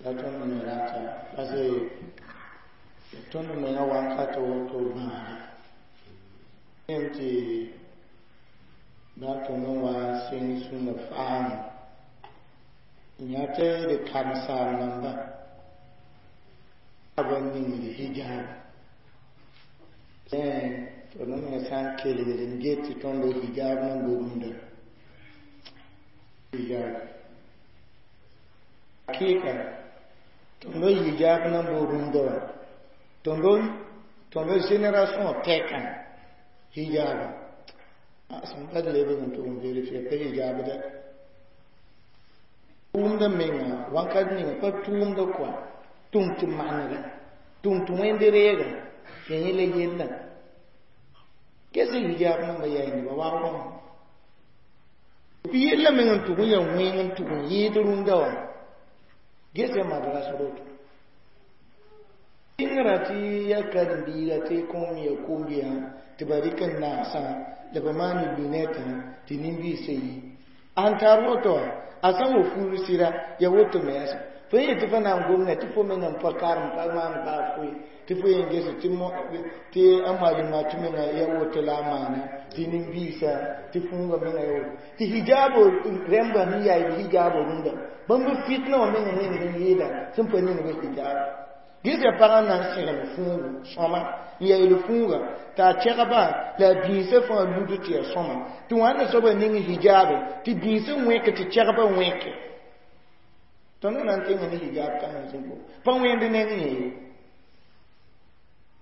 La tõnd me rata parce que tõnd menga wakat woto bãaga yẽm tɩ bã tõnd n wa n sẽng sũnna faam yã tɩ d karen-saam namba b ningd hijab tõnd me sã n kelgd n get tɩ tõnd hijab nan bo rũndã hijab hakika tõnd hijab nan bo rũndã wã tõnd génération tɛkã hijab sẽn pa d lebg n tʋg n vérifier pa hijab dɛ tʋʋmdã menga wãnkat ninga pa tʋʋmda kɔa tʋm tɩ manega tʋm tɩ wẽnd reega ya yẽ la yella ges hijab namba yaa nebã wag wã bɩ yella meng n tʋg n yaa wẽng n tʋg n yɩɩd rũndã wã ges ya madras roto sɩngrã tɩ ya karen-biiga tɩ kõom ya kombiyã tɩ ba rɩk n naasã la ba maan lunɛtã tɩ nin-biisã yi an tar woto wã a sã n wa fuud sɩda ya woto me yãsã fo yẽ tɩ fo na n gomda tɩ fo meng n pa karem pa maan baa foe tɩ fo yen ges tɩ a malima tɩ menga ya woto la a maana tɩ nin-biisã tɩ fũuga menga ya woto tɩ hijaabo rẽmba sẽn yaa b hijaabo rũndã bãmb fitna wã meng wẽnd n yɩɩda sẽn pa ning b hijab ges ya pagã na n segl fũugu sõma n yaɩl fũuga t'a a kɛgba la a bĩisã fãa lud tɩ ya sõma tɩ wãnda soabã ning hijaabe tɩ bĩisã wẽk tɩ kɛgbã wẽke tõnd na n tẽnga ne hijab kãngã sẽn ko pa wẽnd neng yẽ ye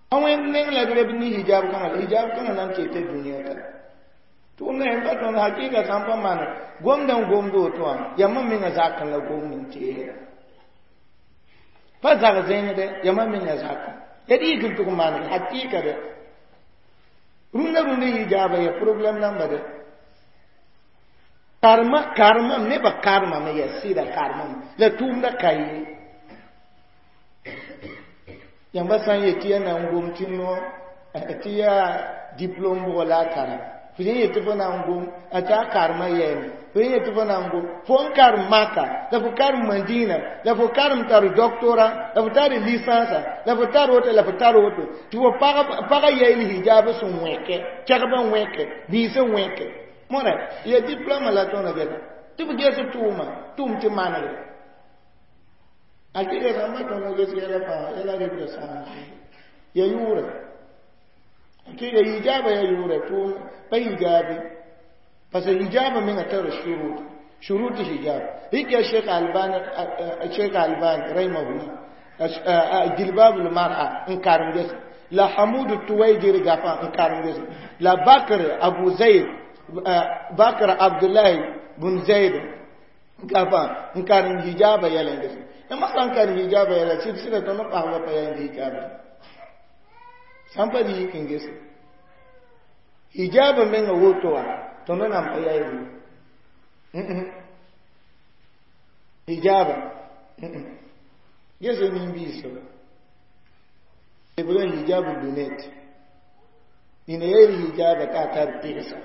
pa wẽnd neng la d reb ne hijab kãngã la hijab kãngã na n teta dũniyã ka tʋʋmda yẽm pa tõnd hakɩɩga sã n pa maan gomdã n gomd woto wã yãmb menga zakẽ la gomd n teesda pa zag zẽngdɛ yãmb menga zakẽ ya d yik n tʋg maneg hakɩɩka dɛ rũndã rũndã hijaaba ya problème namba dɛ karema karemam nebã karemame yaa sɩda karemame la tʋʋmda ka ye yãmba sã n yet tɩ yaa na n gom tɩ no tɩ yaa diplôme bʋgɔ la a tara fo sẽn yet tɩ fo na n gom a tɩ a karema yɛɛme fo sẽn yet tɩ fo na n gom fo n karem Maka la fo karem Madina la fo karem tar doctorat la fo tar licence la fo tar woto la fo tar woto tɩ fo pagã yaɩl hijab sẽn wẽke kɛgbã wẽke biisã wẽke mõra ya diplôme la tõnd geta tɩ b ges tʋʋma tʋʋm tɩ manegre akɩga sãmba tõnd ges yɛla fãa yɛla rɩbda sãam ya yʋʋrɛ akɩga hijaaba ya yʋʋrɛ tʋʋm pa hijaabe parce que hijaaba menga tara shurut shurut hijab rɩk ya Sheikh Albani Sheikh Albani rahimahullah jilbab al-mar'a n karem ges la Hamud Tuwaijiri gafa n karem ges la Bakr Abu Zaid Bakr Abdullahi bun Zaid gafa n karem hijaba yɛla ges yãmb sã n karem hijaba yɛla sɩd sɩda tõnd pagba pa yaa hijaba sã n pa dɩ yik n gese hijaba menga woto wã tõnd nan pa yaa hijaba gese nin-biisã lebg n hijab lunette nina yaa hijaba t'a tar pɩgsa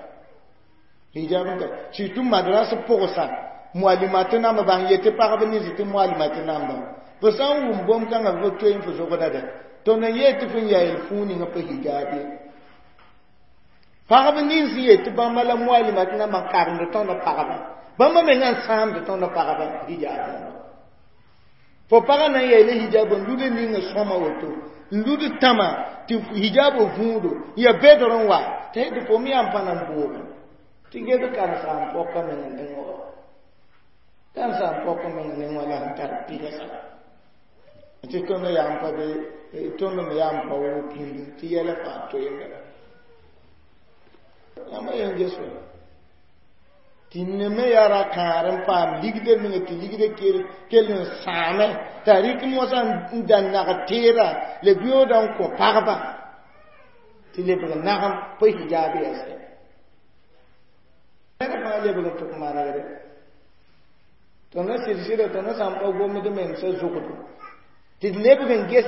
hijab n tar surtout madrasa pʋgsa mualimate namba bãng yetɩ pagb nins tɩ mualimate namba fo sã n wʋm bõmb-kãngã fo toe n fo zogda dɛ tõnd n yeel tɩ fo n yaɩl fũu ninga pa hijab ye pagb nins n yet tɩ bãmba la mualimate namba n karemd tõnd pagba bãmba mengã n sãamd tõnd pagba hijab fo pagã na n yaɩla hijab n lud ninga sõma woto n lud tãma tɩ hijab võodo n ya bedr n wa tɩ tɩ fo me yaa n pa na n booge tɩ ged karen-saam pɔka meng neng wa karen-saam pɔka meng neng wa la sẽn tar pɩgsa tɩ tõnd yaa n pa be tõnd me yaa n pa woo pĩndi tɩ yɛla fãa toeemda yãmba yen ges wa tɩ neme yaa ra kãar n paam ligdã menga tɩ ligdã kell n sãame t'a rɩk mosã n da nag teera la biooda n kõ pagba tɩ lebg nagem pa hijaab yɛsɛ ned fãa lebg n tʋk manegre tõnd sɩd sɩda tõnd sã n pa gomd memsã zʋgdo tɩ d lebg n ges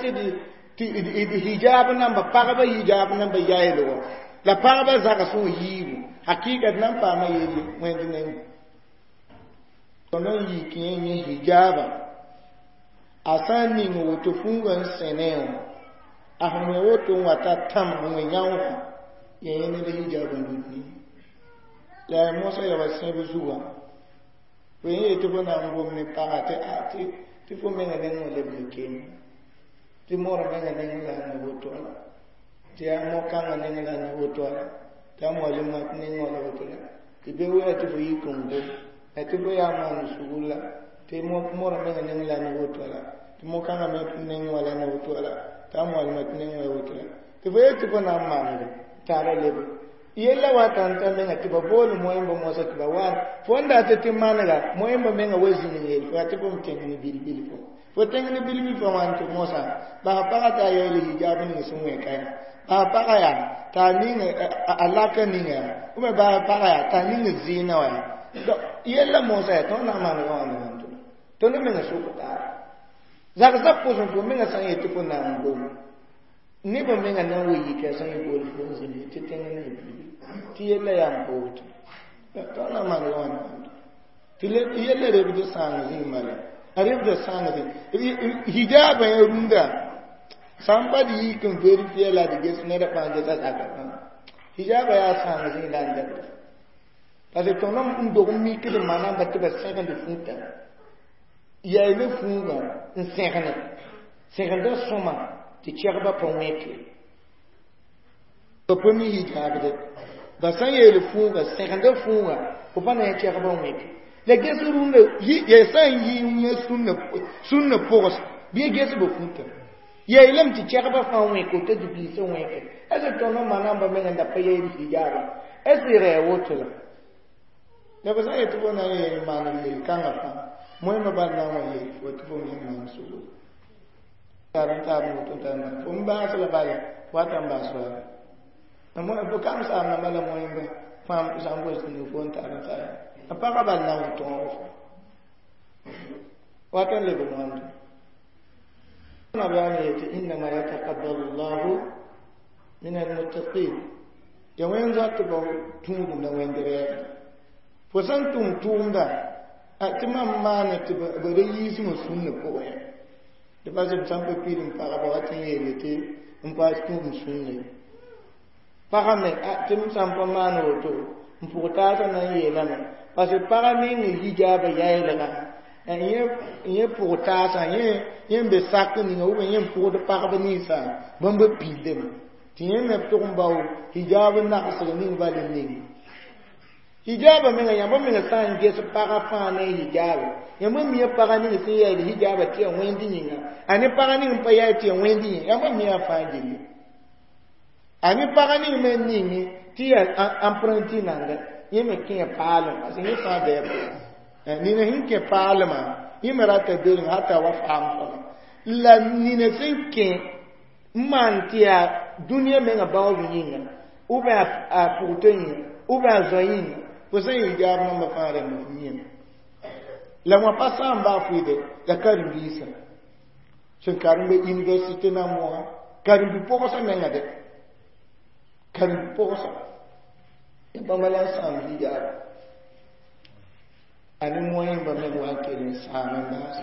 tɩ d hijaab namba pagba hijaab namba yaɩlgɔ la pagba zags wã yiibu hakɩɩka d na n paama yelle wẽnd neng tõnd n yik yẽ yẽ hijaaba A sã n ning woto fuugã n sẽne wã, a sẽn wẽ woto n wa t'a tãmg n wẽ yãoogã, ya yẽ ned hijab n lut ne. La yaa mosã ya wa sẽb zugã. Fo yẽ yetɩ fo na n gom ne paga tɩ a tɩ fo menga nengẽ wã lebg n keng. Tɩ moor menga nengẽ la a na woto la. Tɩ yaa mo-kãngã nengẽ la a na woto la. Tɩ a moalimã nengẽ wã la woto la. Tɩ be wɛ tɩ fo yik n gom. La tɩ fo yaa maan sugr la. Tɩ moor menga nengẽ la a na woto la. Tɩ mo-kãngã me nengẽ wã la a na woto la. Tɩ a moalimã nengẽ wã woto la. Tɩ fo yetɩ fo na n maanede t'a ra lebe. Yella wa tãn t'a menga tɩ ba bool moẽmba mosã tɩ ba wa fo n dat tɩ manega moẽmba menga wa zĩnig yel fo yaa tɩ fo m tẽng ne bil-bil fo. Fo tẽng ne bil-bil fo wãn tɩ mosã bas paga t'a yaool hijab ning sẽn wẽ ka yaa. Bas paga yaa t'a ning a laka ninga yaa. Ou bien bas paga yaa t'a ning zɩɩna wã yaa. Yella mosã yaa tõnd na n manega wãnda wãn tɩ tõnd menga sʋk taaba. Zagsã pʋsẽ fo menga sã n yet tɩ fo na n gom. Neb menga na n wa yika sã n bool fo n zĩnd tɩ tẽng ne bil-bil. Tɩ yella yaa n pa woto. Tõnd na n manega wãnda wãn tɩ yella rebd sãang zĩig bala. A rebda sãang zĩig. Hijaabã yã rũndã sã n pa d yik n vérifier la d ges ned fãa gesa zaka fãa. Hijaabã yaa sãang zĩig la n dɛbda. Parce que tõnd n dog n mikd n manamba tɩ ba sẽgend fuutã. Yaay ne fuugã n sẽgene. Sẽgenda sõma tɩ kɛgba pa wẽke. Ba pa mi hijaabde. Ba sã n yeel fuugã, sẽgenda fuugã, fo pa na yã kɛgba wẽke. La ges rũndã, ya sã n yɩ yẽ sũnna pʋgs, bɩ ges ba fuutã. Yeelame tɩ kɛgba fãa wẽke t'a dibiisã wẽke. Est ce tõnd n manamba meng n da pa yeel hijaabã? Est ce rɛɛ woto la? La ba sã n yetɩ fo na n yeel maan yel-kãngã fãa, moẽmba bal na n wa yeel fo tɩ fo me maan sugr. Tar n tar n woto n tar n fo n baas la bala, wata n baas wala. Fo kam saam namba la moẽmba fãa sã n gos ning fo n tar n tar. A pagã bal na n tõog fo. Wata n lebg wãnda. Nabiyaam yetɩ innama yataqabbalu llahu min almuttaqin. Ya wẽnd zoatbã tũudum la wẽnd rɛɛbda. Fo sã n tʋm tʋʋmda, tɩ mam maane tɩ ba ra yiismã sũnnã pʋgẽ yã. Tɩ pa sẽn sã n pa pid n pagba wa tɩ n yeele tɩ n paas tũudum sũnna ye. Pagã me, tɩ m sã n pa maan woto, n pʋg taasã na n yeelame. Parce que pagã ning hijaabã yaɩlgã, yẽ pʋg taasã, yẽ n be sak ninga ou bien yẽ n pʋgd pagb ninsã, bãmb pildame. Tɩ yẽ me tʋg n bao hijaab nagsg ning bal n ning. Hijaabã menga yãmb menga sã n ges pagã fãa ne hijaaba. Yãmb mia pagã ning sẽn yaɩl hijaabã tɩ yaa wẽnd yĩnga. A ne pagã ning n pa yaɩ tɩ yaa wẽnd yĩnga. Yãmb mia fãa gilli. A ne pagã ning me n ning tɩ yaa emprunti nanga. Yẽ me kẽ paalem parce que yẽ fãa bɩ a nina sẽn kẽ paalemã, yẽ me rata belem hata wa faam soaba. La nina sẽn kẽ n maan tɩ yaa dũniyã menga baoob yĩnga, ou bien a pʋgtã yĩnga, ou bien a zoa yĩnga, fo sẽn hijaab namba fãa rẽmb f yĩme. La wã pa sã n baa fʋɩde la karen-biisã. Sẽn karem be université na moa, karen-bi-pʋgsã menga de. Karen-bi-pʋgsã. Bãmba la n sãam hijaab. A ne moẽmba meng wa n kell n sãam n baas.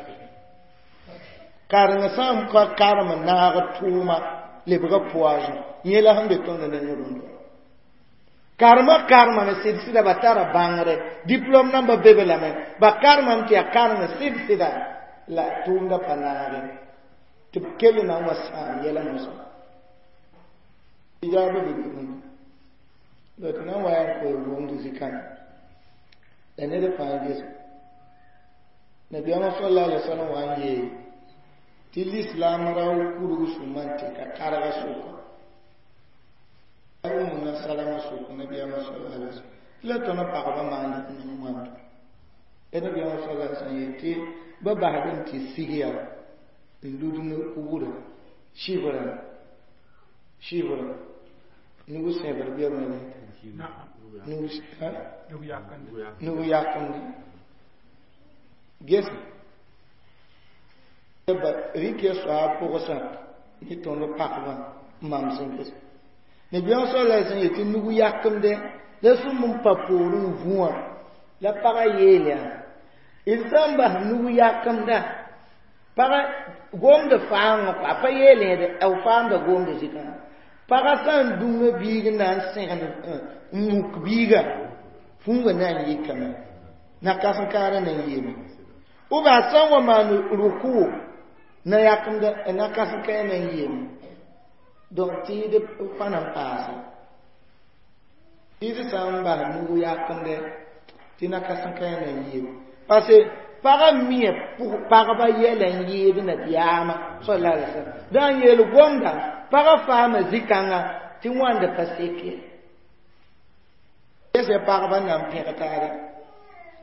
Karengã sã n ka karem n naag tʋʋma lebga poison. Yẽ la sẽn be tõnd neng rũndã. Karemã karemame sɩd-sɩda ba tara bãngre. Diplôme namba be be lame. Ba karemame tɩ yaa kareng sɩd-sɩda la tʋʋmda pa naage. Tɩ b kell na n wa sãam yɛla mosã. Hijaabã be be rũndã. La tɩ na n wa yaa n koe wʋmd zikãna. La ned fãa ges. Nabiyaamã sallallahu alaihi wasallam wa n yeel tɩ lislaam rao kurg sũmã n tɩ ka karga sʋka. Umuna Salama sʋk nabiyaamã sallallahu alaihi wasallam. Tɩ la tõnd pagba maand ning wãnda. La nabiyaamã sallallahu alaihi wasallam yeel tɩ ba basd n tɩ sig yaa n lud ne kugrã, sɩbrã, sɩbrã. Nug sẽbr bɩ b nug yakemde. Ges ba rɩk ya soaab pʋgsã ne tõnd pagba n mam sẽn ges. Nabiyaam sallallahu alaihi wasallam yetɩ nug yakemde la sũmb n pa poorẽ n vũ wã la pagã yeel yaa d sã n bas nug yakemda Pagã gomd faangẽ kɔa pa yeelẽede b faamda gomda zikã. Pagã sã n dũnga biig n na n sẽgend n muk biiga fũngã na n yikame na-kãsen-kãadã na n yeeme b a sã n wa maan rʋkʋ na yakemda na-kãsen-kãe na n yeeme donc tɩɩd pa na n paase tɩɩd sã n bas nug yakemdɛ tɩ na-kãsen-kãe na n yeeme parce que pagã mia pagba yɛla n yɩɩd nabiyaamã sallallahu alaihi wasallam dã n yeel gomda pagã faama zĩ-kãnga tɩ wãnda pa sek ye ges pagba na n pẽg taare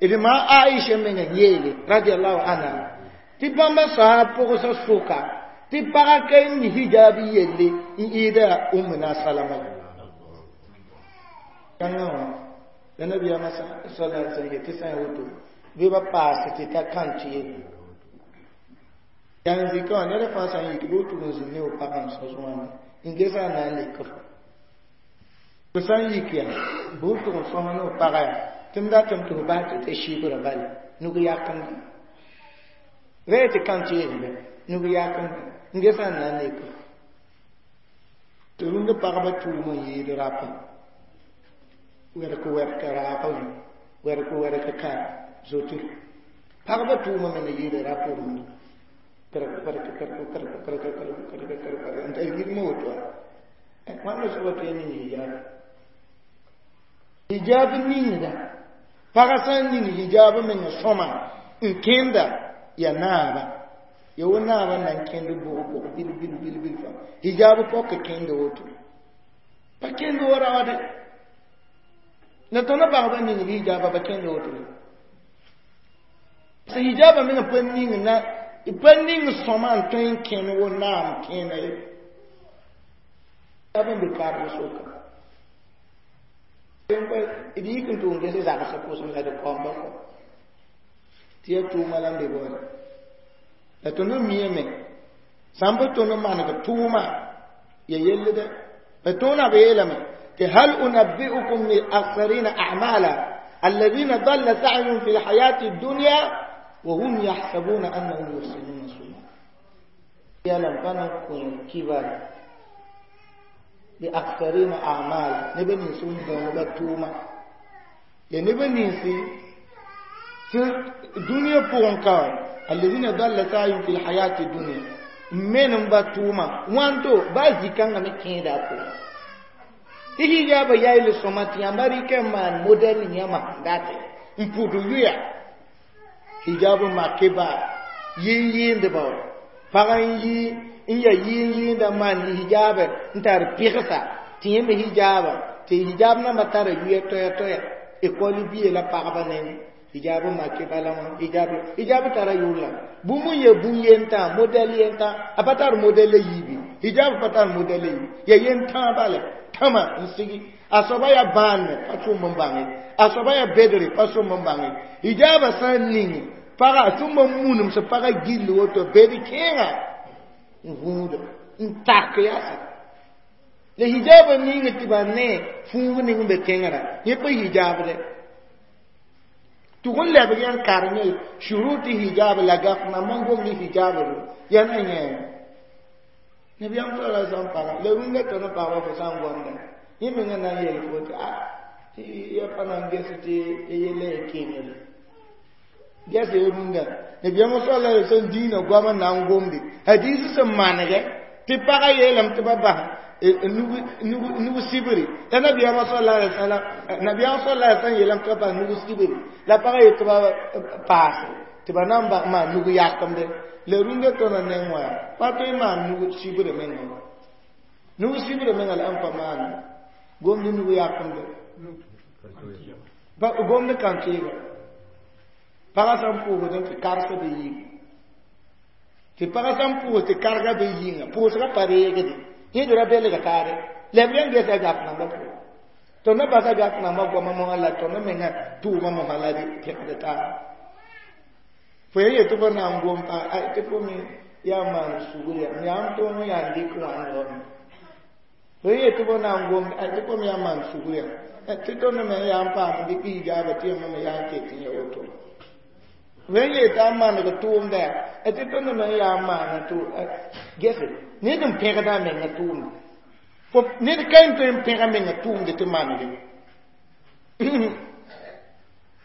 d maa Aisha menga yeele radiallahu anha tɩ bãmba sã pʋgsa sʋka tɩ pagã ka n hijab yelle n ɩɩda Ummuna Salama kãngã wã la nabiyaamã sallallahu alaihi wasallam yetɩ sã n woto bɩ ba paas tɩ ta kãn tɩ yaa n zikã wã ned fãa sã n yik bɩ tʋg n zĩnd ne f pagã n sõs wãnda n gesa a na n lek fo fo sã n yik yaa bɩ f tʋg n sõs ne f pagã yaa tɩ m datame tɩ f bas tɩ t'a sɩbrã bale nug yakemdã rẽ tɩ kãn teesdã nug yakemdã n gesa n na n lek fo tɩ rũndã pagba tʋʋm n yɩɩd rapã wɛrk wɛrk raagã wɛrk wɛrk ka zote pagba tʋʋma me na yɩɩda rap rũndã kɛrk kɛrk kɛrk kɛrk kɛrk kɛrk kɛrk kɛrk n tar yirmã woto wãnda soaba tõe n ning hijab hijab ningda pagã sã n ning hijab menga sõma n kẽnda ya naaba ya wo naaba na n kẽnd bʋg bʋg bil bil bil bil fãa hijab pɔk kẽnda woto pa kẽnd wo raoode la tõnd bagba ning hijaba ba kẽnda woto sã hijaba menga pa ning na pa ning sõma n tõe n kẽnd wo naam kẽena ye hijab n be karg soka d yik n tʋʋm ges zagsã pʋsem la d kaoamba kɔ tɩ ya tʋʋma la n be baoore la tõnd n miame sã n pa tõnd n maneg tʋʋma ya yellda la tõonã b yeelame tɩ hal unabbi'ukum bil akhsarina a'mala alladhina dalla sa'yuhum fi lhayati dunya wa hum yahsabuna annahum yuhsinuna sun'a yalam pa na n kõ kibar bi akhsarina a'mala neb nins n bãooga tʋʋma ya neb ninsi dũniyã pʋgẽ ka alladhina dalla sa'yuhum fi lhayati dunya n menem ba tʋʋma wãnto baa zĩ-kãngã me kẽeda a pʋgẽ tɩ hijaabã yayl sõma tɩ yãmba rɩkɛ n maan modɛl yãmã date n pʋd yʋya hijab make ba yɩɩn-yɩɩndba wa pag n yi n ya yɩɩn-yɩɩnda n maan hijaabɛ n tar pɩgsa tɩ yẽ me hijaaba tɩ hijab nambã tara yʋya toɛɛ toɛɛ ekɔl bie la pagba neng hijab make bala wã hijab hijab tara yʋʋr la bũmb n ya bũn-yentã modɛl yentã a pa tar modɛl la yiibi hijab pa tar modɛl la yiibi ya yentã bala tãma n sigi a soaba yaa bãanme pa tʋʋm n bãnge a soaba yaa bedre pa sʋm n bãnge hijaabã sã n ning pagã a tʋm n munem sẽn pagã gill woto bed kẽengã n vũuda n tak yaasa la hijaabã ning tɩ ba ne fũug ning n be tẽngrã yẽ pa hijaabdɛ tʋg n lebg yãn karem shuruti hijab la gaf nambã n gomd hijab yaa na yẽ nabiyaam sallallahu alaihi wasallam paga la rũndã tõnd pagba fo sã n gomda yẽ mengã na n yeel fo tɩ a tɩ ya pa na n ges tɩ ya yella ya kengre ges ya rũndã nabiyaam sallallahu alaihi wasallam diinã goam n na n gomde hadis sẽn manegɛ tɩ pagã yeelame tɩ ba bas nug sibri la nabiyaam sallallahu alaihi wasallam nabiyaam sallallahu alaihi wasallam yeelame tɩ ba bas nug sibri la pagã yet tɩ ba paase tɩ ba na n bas maan nug yakemde la rũndã tõndã neng wã pa tõe n maan nug sibr menga nug sibr menga la n pa maan gomd nug yakemde gomd kãn-teega pagã sã n pʋʋsd tɩ karsã be yĩng tɩ pagã sã n pʋʋs tɩ kargã be yĩnga pʋʋsgã pa reegde yẽd ra belga taare lɛb yãn gesa gaf nambã pʋgẽ tõnd basa gaf nambã goamã mosã la tõnd mengã tʋʋmã mosã la pẽgd taara fo ya yetɩ fo na n gom tɩ fo me yaa maan sugr ya m yaa n tõog n yaa n dɩk wãnd wame fo ya yetɩ fo na n gom tɩ fo me yaa maan sugr ya tɩ tõnd me yaa n paam dɩk hijaaba tɩ yãmb me yaa n ket n ya woto Wen ye t'a maneg tʋʋmda yaa tɩ tõnd me n yaa n maana tʋ gese ned n pẽgda a menga tʋʋmda ned ka n tõe n pẽg a menga tʋʋmde tɩ manege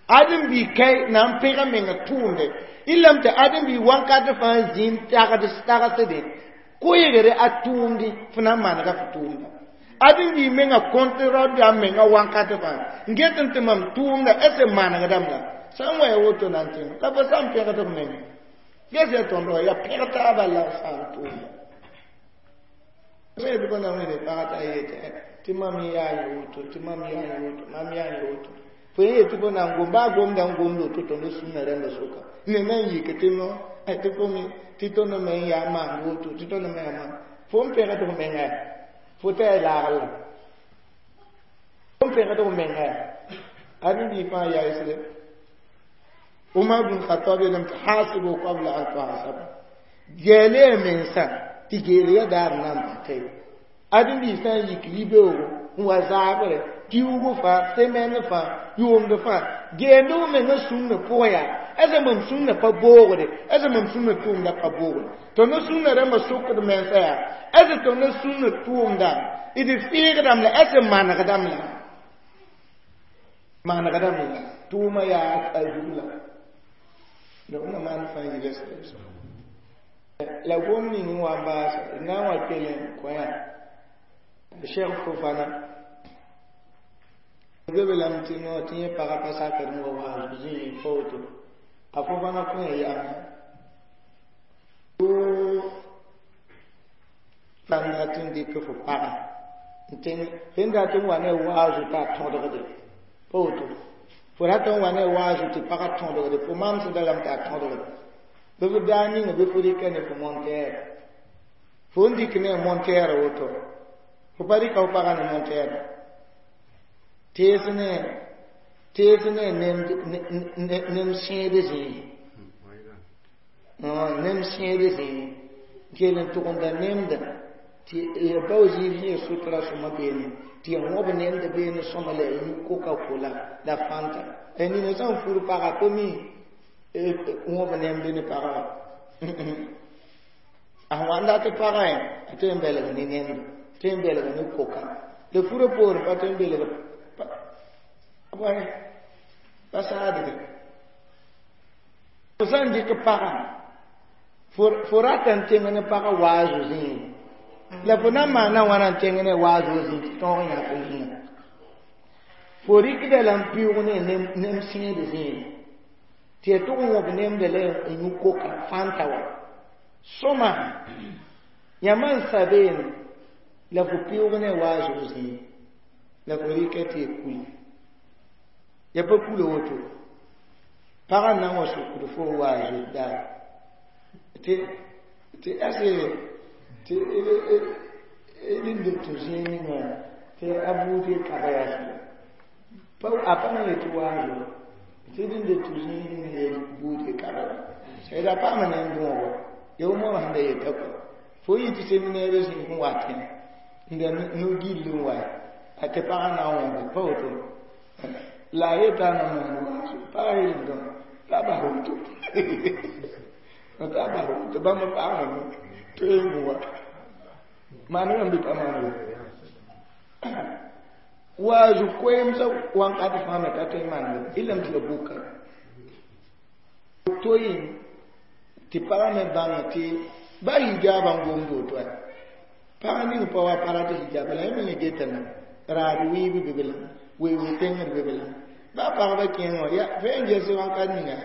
ãdem-bi kai na n pẽg a menga tʋʋmde ilame tɩ ãdem-bi wãnkat fãa zĩ n tagsdẽ koeegre a tʋʋmdẽ fo na n manega fo tʋʋmda ãdem-bi menga kõnt raoda a menga wãnkat fãa n get n tɩ mam tʋʋmda ese manegdame la sã n wa ya woto na n tẽng la fo sã n pẽgd f menga ges ya tõnd wa yaa pẽg taaba la sã n tʋʋmda sẽn tɩ na wẽne pagã t'a yetɩ tɩ mam yaa n woto tɩ mam yaa n woto mam yaa n woto fo yẽ yetɩ fo na n gom baa gomda n gomd woto tõnd sũnã rãmba soka ne na n yik tɩ no tɩ fo me tɩ tõnd me n yaa maand woto tɩ tõnd me yaa maan fo n pẽgd f menga fo t'a ya laagl la fo n pẽgd f menga ãdem-bi fãa yaisre Umar bin Khattab yeelame tɩ hasibu qabla an tuhasabu geele ya mensã tɩ geel ya daar n na n pata ye ãdem-bi sã n yik yibeoogo n wa zaabre kiugu fãa semaine fãa yʋʋmd fãa geend f menga sũnna pʋgã yaa asa mam sũnna pa boogde asa mam sũnna tʋʋmda pa boogde tõnd sũnna rãmbã sokd mensã yaa asa tõnd sũnna tʋʋmda d fɩɩgdame la asa manegdame la manegdame la tʋʋma yaa a zug la la na maan fãa yɩla la gom ning n wa n baasa na n wa kell n kõ yaa Cheikh Fofana be be lame tɩ no tɩ yẽ pagã pa sakd n wa waas zĩig pa woto a Fofana kõ ya yam sãn dat n dɩk fo pagã n tẽng sẽn dat n wa ne waazo t'a tõdgde pa woto fo rat n wa ne waazo tɩ pagã tõdgde fo mamsda lame t'a tõdgde bɩ f daa ninga bɩ fo rɩka ne fo montɛɛr fo n dɩk ne montɛɛr woto fo pa rɩka fo pagã ne montɛɛr tees ne nem sẽed zĩig nem sẽed zĩig kell n tʋgemda nemda tɩ ya bao zĩig sẽn ya sotra sõma beene tɩ ya wõb nemda beene sõma la ya yũ coca-cola la fanta nina sã n fur pagã pa mi wõb nemd ne pagã wã a sẽn wa n dat pagã a tõe n belg ne nemda tõe n belg ne koka la furã poorẽ pa tõe n belg pa saadge fo sã n dɩk pagã fo rata n tẽng ne pagã waazo zĩig la fo na n maana wãna n tẽng ne waazo zĩig tɩ tõog yãk ninga fo rɩkda la n pɩʋʋg ne nem sẽed zĩig tɩ ya tʋg n wõb nemda la n yũ koka fanta wa sõma yãmba n sa beene la fo pɩʋʋg ne waazo zĩig la fo rɩka tɩ ya kuli ya pa kula woto pagã n na n wa sokd fo waazo daar tɩ tɩ ase tɩ d n dɩk tɩ zĩig ninga tɩ a buud kaba yaa pa a pa na yetɩ waazo tɩ d n dɩk tɩ zĩig ninga ya buud kaba sɛda paama nem dõogo ya wo moam sẽn da yeta kɔ fo yɩ tɩ seminaire zĩig n watẽ n da no-gill n wa a tɩ pagã na n wõbe pa woto la a yeta na maan waazo pagã yeelame t'a bas woto t'a bas woto bãmb paamame tõe n wa maanegame bɩ pa maanege waazu koeemsã wãnkat fãa me ka tõe n maanege ilame tɩ la buka toyẽ tɩ pagã me bãng tɩ ba hijaabã n gomd woto pag ning pa wa pa rat hijaaba la yẽ me getame raad wɩɩb be be la weoog tẽngd be be la ba pagba kẽengã ya fo n ges wãnkat ninga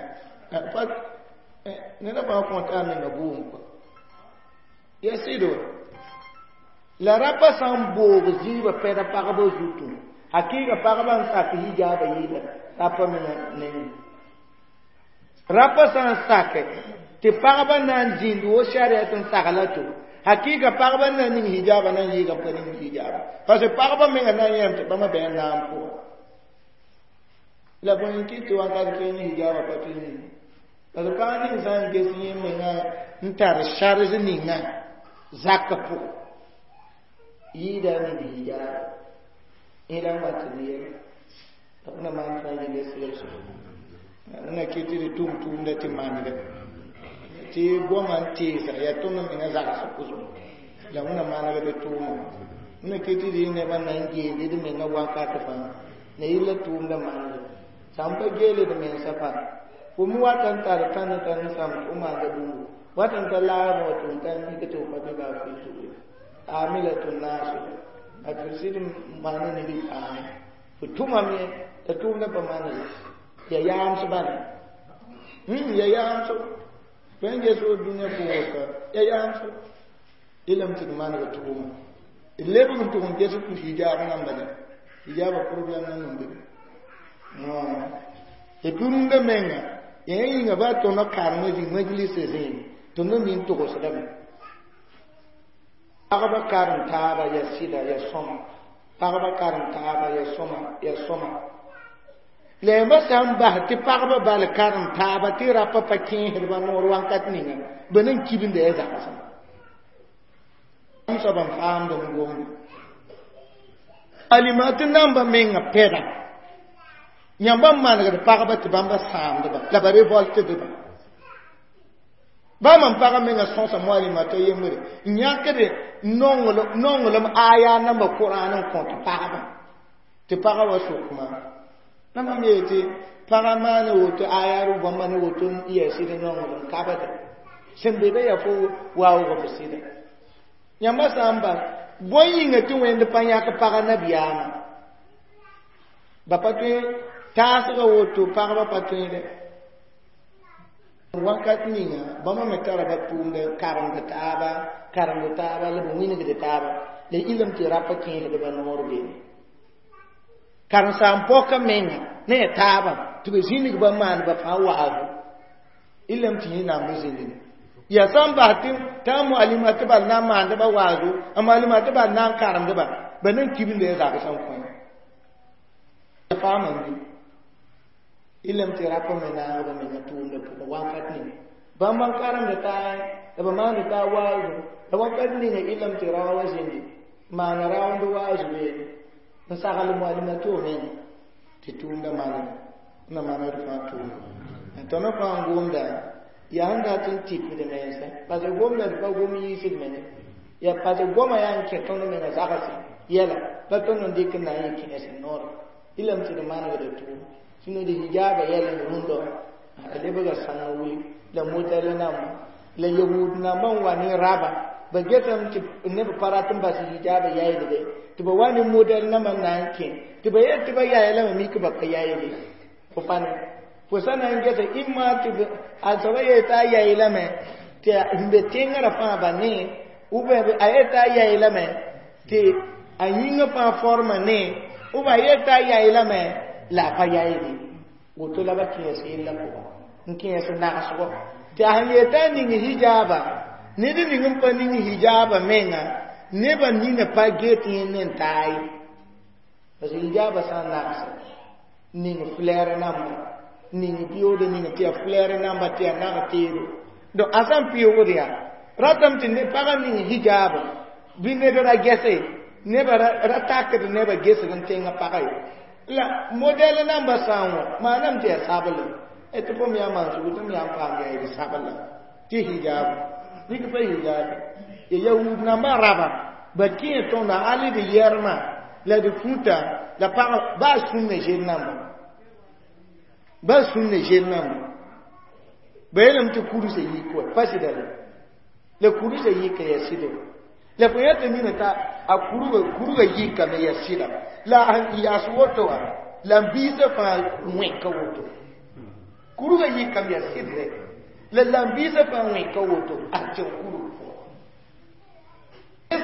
pa neda fãa kõta a menga bʋʋm kɔ ya sɩdo la rapa sã n boog zĩigã pɛda pagba zutu hakɩɩga pagba n sak hijaaba yɩɩda rapa menga neng rapa sã n sake tɩ pagba na n zĩnd wo sariat n sagla to hakɩɩga pagba na ning hijaaba na n yɩɩga pa ning hijaaba parce que pagba menga na n yãm tɩ bãmba bɩ n naam pʋga la bõe n kɩt tɩ wãnkat kẽng hijaaba pa tɩ ning parce que pag ning sã n ges yẽ menga n tar charge ninga zakã pʋgẽ yɩɩda a ning hijaaba yẽ la n wat n yɛla la na maan fãa yella sɩgl sʋka Na kɩ tɩ d tʋm tʋʋmda tɩ manega tɩ goamã n teesa yaa tõnd menga zags pʋsẽ la wẽna manegd tʋʋma wẽna kɩ tɩ d nebã na n geend d menga wakat fãa la yella tʋʋmda manega sã n pa geele d mensã fãa fo me wat n tar tãn tãn sãm tɩ f maanda bũmbu wat n ta laagẽ wa tɩ f ta n tɩ f pa be baa fɩ amilatun nasiba a tɩ sɩd n maana ned y paame fo tʋmame t'a tʋʋmda pa maana ya yaams bala ya yaams tõe n ges wo dũniyã pʋgẽ ya yaams ilam tɩ d manega tʋʋma d lebg n tʋg n ges hijaab namba la hijaaba problème nan n be et puis rũndã menga yaa yĩnga baa tõnd karem zĩng majlisa zĩig tõnd mi n togsdame pagba karem taaba ya sɩda ya sõma pagba karem taaba ya sõma ya sõma la yãmba sã n bas tɩ pagba bal karem taaba tɩ rapa pa kẽesdba noor wãnkat ninga ba nan kibinda ya zagsã m soab n faamd n gomda alimat namba menga pɛda yãmba n manegd pagba tɩ bãmba sãamdba la ba revoltedba bãmb n pagã menga sõsa moalimata yembre n yãkd nonglem aya namba Koran n kõt pagba tɩ pagã wa sok maam la mam yeel tɩ pagã maan woto aya rʋ bãmba ne woto n yaa sɩd nonglem kabda sẽn be be yaa fo waoog f sɩda yãmba sã n bas bõe yĩnga tɩ wẽnd pa yãk pagã nabiyaamã ba pa tõe taasga woto pagba pa tõede wakat ninga bãmba me tara ba tʋʋmda karemd taaba karemd taaba la b wĩnigd taaba la ilem tɩ rapa kẽesdba noor beene karen-saam-pɔka menga ne ya taaba tɩ ba zĩnig ba maan ba fãa waazu ilem tɩ yẽnnaam b zĩndime yaa sã n bas tɩ t'a moalima tɩ bal na n maandba waazu a moalima tɩ bal na n karemdba ba nan kibinda ya zagsã n kõ faamam bɩ ilem tɩ rapa me naagba menga tʋʋmda pʋgẽ wakat ninga bãmb n karemd taa la ba maand taa waazu la wakat ninga ilem tɩ rao wa zĩndi maana raoond waazu beene n sagl moalima tɩ menga tɩ tʋʋmda maneg na manegd fãa tʋʋmda tõnd fãa n gomda yaa sẽn dat n tipd mensã parce que gomda d pa gom yiisd mene yaa parce que goma yaa n kẽ tõnd menga zagse yɛla pa tõnd n dɩk n na n yɩ kẽes noore ilem tɩ d manegda tʋʋm sĩno d hijaaba yɛl n rũndɔ a lebga sãng wili la modɛl namba la yahud namba n wa ne raba ba getame tɩ neb pa rat n bas hijaaba yaɩdge tɩ ba wa ne modɛl namba n na n kẽ tɩ ba yet tɩ ba yaaya lame mik ba pa yaɩde fo pa ne fo sã na n gesa ɩma tɩ a soaba yeel t'a yaɩ lame tɩ n be tẽngã fãa ba ne ou bien a yet t'a yaɩ lame tɩ a yĩngã fãa forma ne ou bien a yet t'a yaɩ lame la a pa yaɩde woto la ba kẽes yella pʋgã n kẽes nagsgɔ tɩ a sẽn yeel t'a ning hijaaba ned ning n pa ning hijaaba menga nebã nina pa get yẽ ne n taa ye parce que hijaaba sã n nagsa ning flɛɛr namba ning pɩoode ning tɩ yaa flɛɛr namba tɩ yaa nag teedo donc a sã n pɩoogd yaa ratame tɩ pagã ning hijaaba bɩ ned ra gɛse nebã ra takd nebã gesg n tẽngã pagã ye la modɛl namba sã n wa maaname tɩ yaa sabl tɩ fo me yaa maan-sugu tɩ m yaa n paam yaa d sabla tɩ hijaab nik pa hijaab ya yahud nambã raba ba kẽ tõnda hali d yɛrmã la d futa la pag baa sũnna zel namba baa sũnna zel namba ba yeelame tɩ kurusã yik wa pa sɩda la la kurusã yika yaa sɩda la fo yã tɩ mina t'a a kurgã yikame yaa sɩda la a yaas woto wã la n biisã fãa wẽka woto kurgã yikame yaa sɩdre la la n biisã fãa wẽka woto a tẽo kurg pʋgã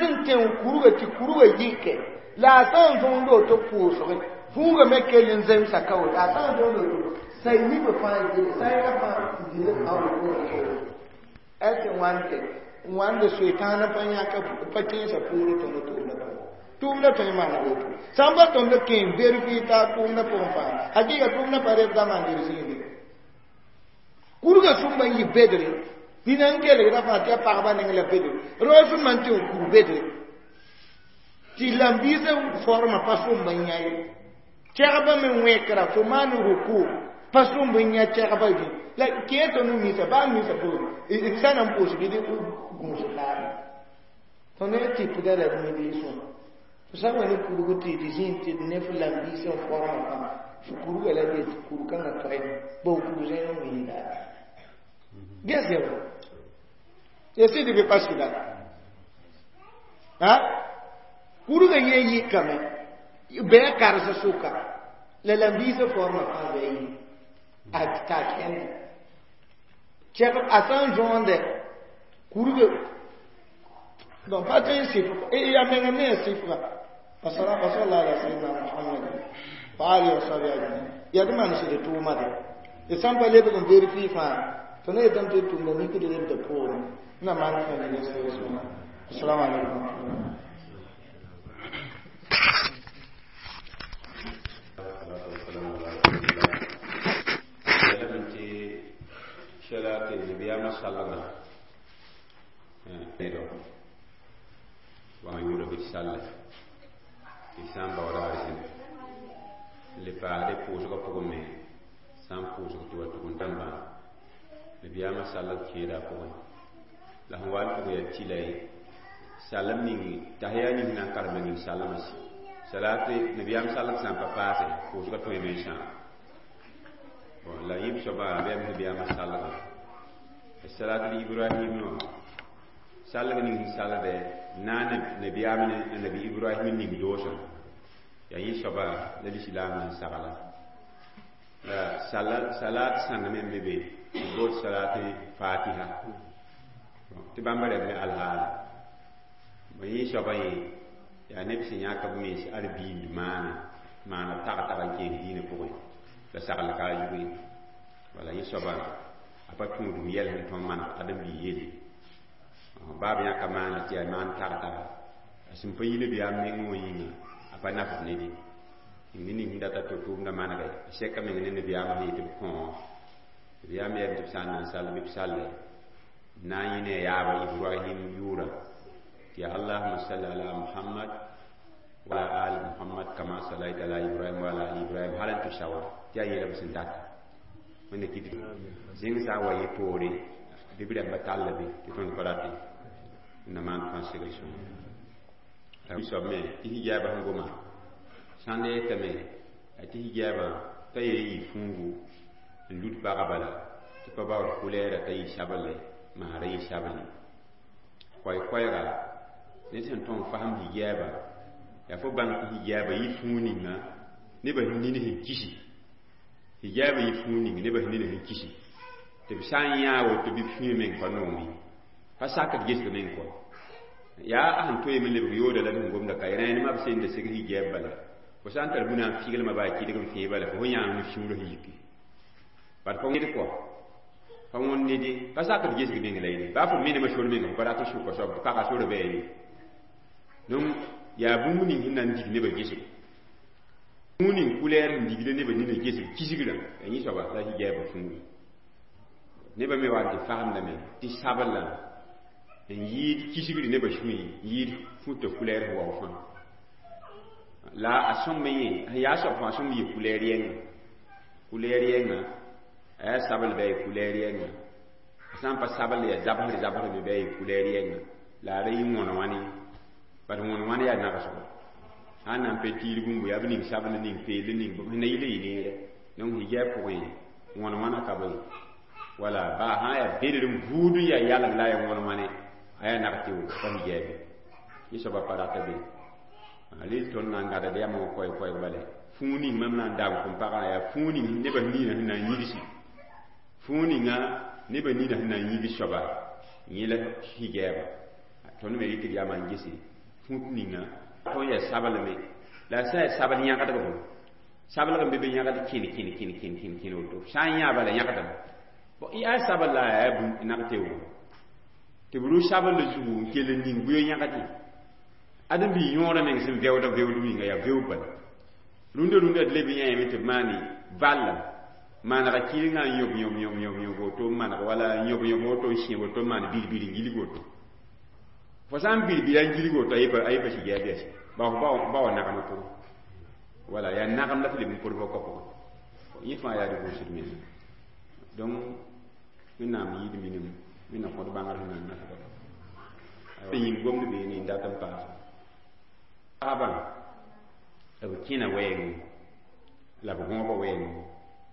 sẽn tẽo kurgã tɩ kurgã yike la a sã n zõond woto pʋʋsge fuugã me kell n zemsa ka woto a sã n zõond woto say nibã fãa sayra fãa dɩl a woto ɛ tɩ wãnte wãnde soetãana pa yãka pa kẽesa poore tõnd tʋʋmda pʋgẽ tʋʋmda tõe n maana woto sã n pa tõnd kẽ n verifie t'a tʋʋmda pʋgẽ fãa hakɩɩga tʋʋmda pa rebda mander zĩige kurgã sũmba n yɩ bedre nina n kelgda fãa tɩ yaa pagba neng la bedre rao sũmba n tɩ n kur bedre tɩ lambiisã forma pa sũmba n yã ye tɛgba me wẽkra fo maan ruku Pa sõm bɩ yã kɛgba bɩ la kẽer tõnd misa baa misa po sã na n pʋʋs bɩ gũus taaba tõnd ne tɩpda la d mi-biis wã fo sã n wa ne kurg tɩ d zĩig tɩ d ne f lambiis n formã fãa fo kurga la be tɩ kur-kãngã toɛ bao kur zẽn n wĩnda ges ya ba ya sɩd bɩ pa sɩda ha kurga yẽ yɩkame bɩ a karsa sʋka la lambiisã formã fãa bɩ a yi a t'a kẽnda kɛg a sã n zõonde kurga donc pa tõe n sɩf ya menga me ya sɩfga وصلى على سيدنا محمد وآله وصحبه أجمعين ya d maan sɩd tʋʋma de d sã n pa lebg n vérifie fãa tõnd yetame tɩ d tʋmda mikd lebda poorẽ na maan fãa ne assalamu alaikum. Sɛla tɩ nabiyaamã salgã do wa yʋʋra bɩ salle tɩ sã n baooda arzẽn le paasde pʋʋsgã pʋgẽ me sã n pʋʋsg tɩ wa tʋg n tãmbã nabiyaamã salg kẽeda a pʋgẽ la sẽn wa n tʋg yaa tɩla ye salem ning tahiya ning na n karema ning salmã salate nabiyaam salg sã n pa paase pʋʋsgã tõeme n sãam bon la yĩb soaba bɩ yaa nabiyaamã salgã salat ibrahim wã salg ning sẽn salde na nabiyaam ne nabi ibrahim ning doosã yaa yẽ soaba la lislaamã n sagla la salat sãng me n be be b bood salat fatiha tɩ bãmba rɛb me alhaala yẽ soaba yẽ yaa neb sẽn yãk b mens arbiind maana maana tag-tag n keen diinã pʋgẽ la sagl ka a zugẽ wala yẽ soaba a pa tũudum yɛl sẽn tõnd maneg ãdem-biig yelle baa b yãka maana tɩ yaa maan tag-taga a sẽn pa yi nabiyaam nengẽ wã yĩnga a pa nafd ned ye ne ning sẽn data tɩ tʋʋmdã manega a sɛka meng ne nabiyaamã sẽn yetɩ b kõ nabiyaam yɛm tɩ b sã n na n sall bɩ b salle na n yẽ ne a yaaba Ibrahim yʋʋra tɩ yaa allahuma salli ala Muhammad wa ala ali Muhammad kama sallaita ala Ibrahim wa ala ali Ibrahim hal n tɩ sawa tɩ yaa yẽla b sẽn data wẽnda kɩt zẽng sã n wa yẽ poore bɩ b rãmba talla be tɩ tõnd pa rate na maan fãa segl sõnga soab me tɩ hijaabã sẽn goma sãnd yetame tɩ hijaabã t'a yee yɩ fũugu n lut pagã bala tɩ pa baood kulɛɛra t'a yɩ sabl maara yɩ sabl koɛɛ-koɛɛga ned sẽn tõn fasem hijaabã yaa fo bãng tɩ hijaabã yɩ fũu ninga nebã sẽn nin sẽn kisi hijaabã yɩ fũu ning nebã sẽn nin sẽn kisi tɩ b sã n yãa woto bɩ b sũyã meng pa noome pa sakd gesg meng kɔ yaa a sẽn toeeme lebg yooda la d sẽn gomda ka rẽenemã b senda seg hijaab bala fo sã n tar bũna n figlmã baa kɩdg n fẽe bala fo fo yãag ne sũurã sẽn yiki bad pa wẽd kɔ pa wõnd ned pa sakd gesg meng la ye baa fo menemã sor meng fo pa rat n sʋka soab tɩ pagã sora bɩ a ye donc yaa bũmb ning sẽn na n dig nebã gesg bũmb ning kulɛɛr sẽn digda nebã nina gesg kisgrã yaa yẽ soaba la hijaabã fũugu nebã me wa n tɩ fasemdame tɩ sablã n yɩɩd kisgr nebã sũy n yɩɩd futa kulɛɛr sẽn wao fãa la a sõmb yẽ sẽn yaa soab fãa sõmb yɩ kulɛɛr yɛnga kulɛɛr yɛnga a yaa sabl bɩ a yɩ kulɛɛr yɛnga a sã n pa sabl yaa zabsr zabsr me bɩ a yɩ kulɛɛr yɛnga la a ra yɩ wõn wãne bat wõn wãne yaa nagsgo sã n na n pe tiir bũmbu yaa b ning sabl ning peel ning sẽn na yɩl yɩ neere donc hijaab pʋgẽ wõn wãna ka be wala baa sã yaa bedr n buud n yaa yalg la a yaa wõn wãne a yaa nag tɩ pa hijaabe yẽ soaba pa rata be rel tõnd na n gãdd yamã wã koɛɛ-koɛɛg bala fũu ning mam na n daam fõm pagã yaa fũu ning nebã niinã sẽn na n yigsi fũu ninga nebã niinã sẽn na n yigs soaba yẽ la hijaaba tõnd me rɩk d yamã n gese fũut ninga tõnd yaa sablme la a sã yaa sabl yãgdg fo sablg n be be yãgd kẽn kẽn kẽn kẽn kẽn kẽn woto sã n yã bala yãgdame yaa sabl la a yaa bũmb nag tɩ tɩ b rʋ sabl zugu n kell n ning buyo yãgd ãdem-biig yõodã meng sẽn vɛoodã veood winga yaa veoog bala rũndã rũndã d leb n yãame tɩ b maane vallem manega kɩrengã n yõb yõb yõb yõb yõb woto n maneg wala n yõb yõb woto n sẽeb woto n maan bir-bir n gilg woto fo sã n bir-bira n gilg woto a yɩ pa hijaab yɛs ba wa nagmã pʋgẽ wala yaa nagem la f leb n pʋd fo ka pʋgẽ Yẽ fãa yaa rɩ gʋʋsd menga. Donc Wẽnnaam yɩɩd minim, Wẽnnaam kõt bãngr sẽn na n nasda. Yĩm gomd beene n dat n paas. Pagba b kẽna wɛɛngẽ la b gõoba wɛɛngẽ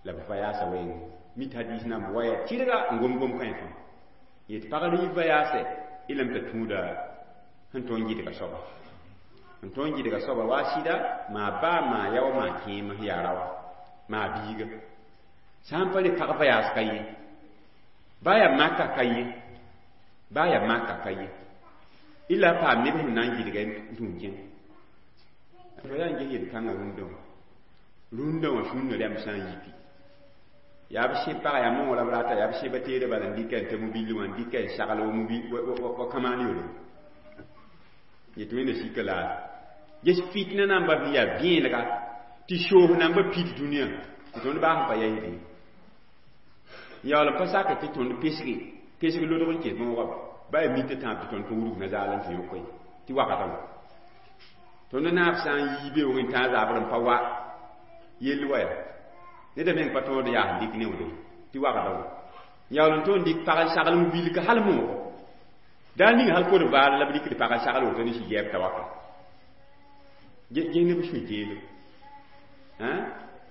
la b vayaasa wɛɛngẽ. Mit hadis nan waya tɩrga n gom gom kãe fãa. Yet pag rɩɩb vayaasɛ y lame t'a tũuda sẽn tõe n gɩdga soaba. N tõe n gɩdga soaba wa sɩda maa baa maa ya wa maa kẽem sẽn yaa raoa maa biiga. Sã n pa le pag vayaas ka ye, baa yaa maka ka ye, baa yaa maka ka ye. Ila paam neb sẽn na n gɩdga n tũu kẽng. Fo yaa n ges yel-kãngã rũndã wã. Rũndã wã sũnna rɛmb sã n yiki. Yaa b sẽb pagã yaa moogã la b rata, yaa b sẽba teedã bala n dɩka n ta mobil wã n dɩka n sagl wa mobil wa kãmaan yore. Yetɩ Wẽnda sika la ges fitna namba sẽn yaa vẽenega tɩ soos namba pid dũniyã tɩ tõnd baa sẽn pa yaɩsd ye. Yaool n pa sakr tɩ tõnd pesge pesg lodg n kes moogã ba yaa mita tãab tɩ tõnd pa wurg nazaal n tɩ yõk ye tɩ wakatã wã. Tõnd naab sã n yii beoogẽ n tãag zabr n pa wa yell wa yaa neda meng pa tõod yaa sẽn dɩk neoode tɩ wakatã wã. Yaool n tõe n dɩk pag n sagl mobilka hal moogo. Daar ning hal kod vaar la b dɩkd pag n sagl woto ne sɩ gɛɛb t'a waka. Ges neb sũ teelo.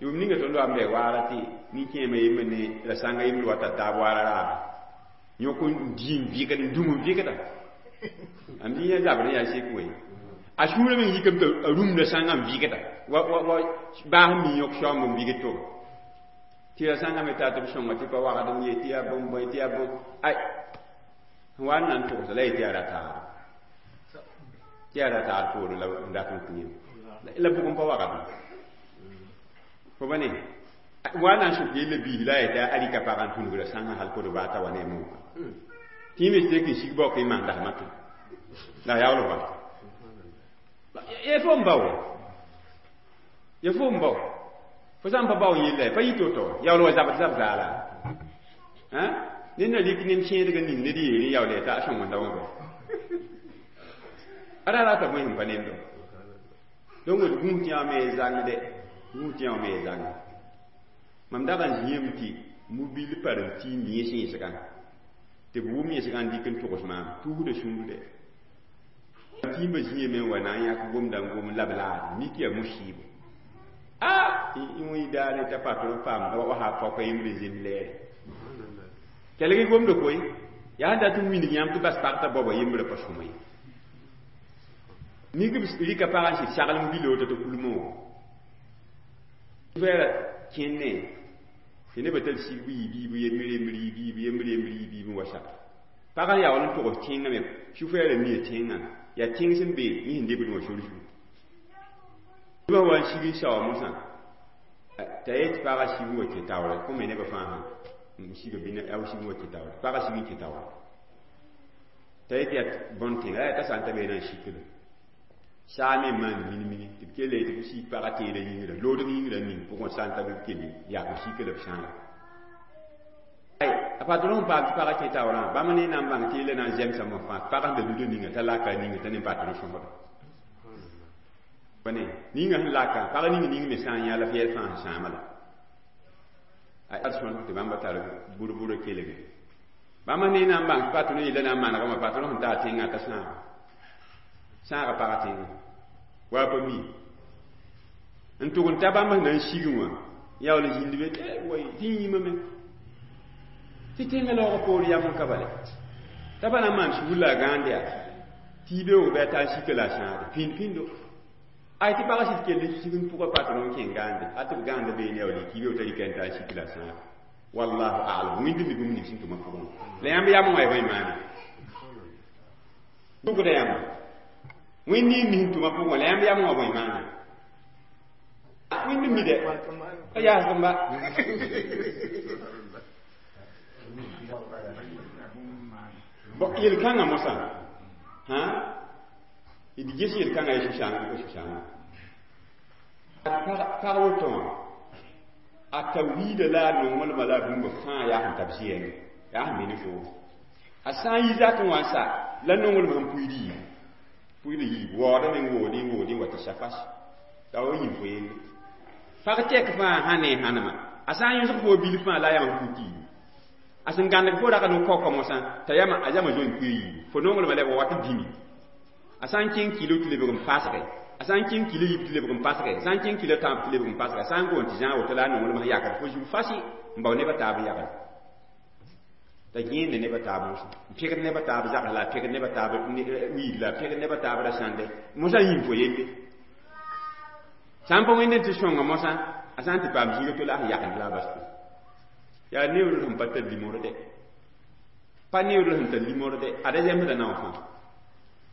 Yʋʋm ninga tõnd wa n bɛ waara tɩ nin-kẽemã yembr ne la sãnga yembr wa t'a taab waara raaba. Yõk n dii n vɩgd n dũm n vɩgda. Am dĩ yã zabr n yaa sek we. A sũurã meng yikame t'a rũmda sãngã n vɩgda. Wa wa wa baas n mi yõk shaoomb n vɩgd to. Tɩ ra sãngã me taa tɩ b sõnga tɩ pa wagd n ye tɩ yaa bũmb bõe tɩ yaa bõe. Ay sẽn wa n na n tʋgsa la ye tɩ yaa ra-taar. Tɩ yaa ra-taar poore la n dat n kõ yẽ. La bʋg n pa wagd. Fo ba ne wa na n sʋk yella biis la a yetɩ a rɩka pagã n tũnugra sãngã hal kod baata wa ne a mooga. Tɩ yẽ me tek n sig baook n maan dasmã tũ. La a yaool wa. Ya fo n bao. Ya fo n bao. Fo sã n pa bao n yella pa yɩ to-to. Yaool wa zabd zab zaala. Ned na lik nem kẽedg n ning ned yeere yaool yaa t'a a sõngenda wã bɩ. A ra rata bõe sẽn pa nendɔ. Donc d gũus tɩ yã me zãngde, gũus tɩ yã me zãng. Mam dag n zĩame tɩ mobil par n tɩ yẽs yẽsgã. Tɩ b wʋm yẽsgã n dɩk n togs maam tuusda sũur dɛ. Tĩimbã zĩame n wa na n yãk gomda n gom la b laad mik yaa musiibo. A tɩ wẽ daare t'a patron paam wa sã paoka yembr n zem lɛɛre. Kelg gomda koe yaa sẽn dat n wilg yãmb tɩ bas pag t'a baoba yembrã pa sõma ye. Mik b rɩka pagã n sɩd sagl mobilã woto tɩ kul moogo. Fɛɛra kẽne tɩ nebã tar sig bɩ yɩ biib yembr yembr yɩ biib yembr yembr yɩ biib n wa sak. Pagã yaool n togs tẽngã me sũ-fɛɛra mia tẽngã yaa tẽng sẽn be yẽ sẽn debd wã sor zugu. Nebã wa n sig n saoa mosã t'a yet pagã sig n wa kẽ taoore kõ me nebã fãa sã n siga bɩ a sig n wa kẽ taoore pagã sig n kẽ taoore t'a yet yaa bõn tẽnga la yaa t'a sã n ta beene n sikda saa me maan mini-mini tɩ b kell tɩ b sig pagã teedã yĩngrã loodg yĩngrã ning pʋgẽ sã n ta bɩ b kell yak n sika la b sãaga. Ay a patron paam tɩ pagã kẽ taoorã bãmb ne na n bãng tɩ yella na n zemsame fãa pagã sẽn da luda ninga t'a laka ninga t'a ne patron sõsda. Pa ne ninga sẽn laka pag ning ning me sã n yã la f yɛl fãa sẽn sãama la. A sõsg tɩ bãmba tar bur-burã kelge. Bãmb ne na n bãng tɩ patron yella na n manegame patron sẽn taa tẽngã t'a sãaga. Sãaga pagã tẽngã. Wa pa mi. N tʋg n ta bãmb sẽn na n sigẽ wã yaool n zĩnd be tɩ way tɩ yĩmame tɩ tẽngã laoogã poor yam n ka bale. T'a pa na n maan sugr la a gãand yaa tɩ beoog bɩ a taa n sika la a sãade pĩnd-pĩndo. Ay tɩ pagã sɩd kell n sig n pʋga patron kẽ gãande a tɩ b gãanda beene yaool tɩ beoog t'a rɩka n taa n sik la a sãade. Wallahu a'lam wĩnd mi bũmb ning sẽn tʋmã pʋgẽ. La yãmb yam wã ya bõe maane. Tʋgda yãmba. Wẽnd ning mi sẽn tʋmã pʋgẽ la yãmb yam wã bõe maane. Wẽnd mi dɛ a yaasg n ba. Bon yel-kãngã mosã d ges yel-kãngã ya sũ-sãanga. Pag woto wã a ta wiida la a nonglmã la a bũmba fãa yaa sẽn tab zɩɛngẽ yaa sẽn be ne voogo. A sã n yi zakẽ wã n sa la nonglmã sẽn pʋɩd yiib pʋɩd yiib waoodã meng woodẽ woodẽ wa tɩ safas la wa yĩm fo yelle. Pag tɛk fãa sã ne hãnema A sã n yõsg fo bilf fãa la a yama fo kiibu. A sẽn gãndg fo rag n kaoka mosã t'a yama a yama zoe n kʋɩ yiibu. Fo nonglmã la b wat dĩmi. A sã n kẽng kɩɩlo tɩ lebg n pasge. A sã n kẽng kɩlo yiib tɩ lebg n pasge. A sã n kẽng kɩlo tãab tɩ lebg n pasge. A sã n goon tɩ zãag woto la a nonglmã sẽn yakd fo zug fasi n bao neb a taab n yagl. T'a gẽende neb a taab mosã. N pẽgd neb a taab zags la a pẽgd neb a taab wiid la a pẽgd neb a taab ra-sãnde. Mosã yĩm fo yelle. Sã n pa wẽnd n tɩ sõnga mosã, a sã n tɩ paam zĩiga to la a sẽn yakend la a bas. Yaa neoor sẽn pa tar limorde. Pa neoor sẽn tar limorde, ada zemsda nao fãa.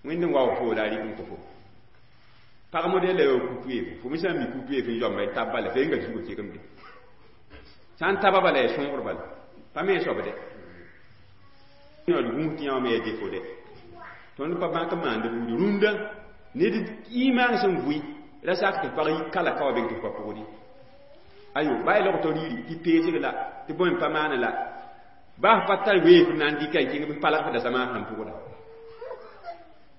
Wẽnd n waoog fo la a rɩk n kõ fo. Pag modɛl la yaa ku-toeefo. Fo me sã n mi ku-toeef n zoamba tab bala, fo yenga zugã kegem de. Sã n taba bala yaa sõogr bala. Pa me soab de. D gũus tɩ yã wã me yaa defo de. Tõnd pa bãk n maand buudi rũndã ned imaang sẽn vʋɩ ra sak tɩ pag yi kala ka wa beng tɩ f pa pʋgdi. Ayo, baa log to riri tɩ peesg la, tɩ bõe n pa maana la. Baa f pa tar weef n na n dɩka n kẽng bɩ palg f dasama sẽn pʋgda.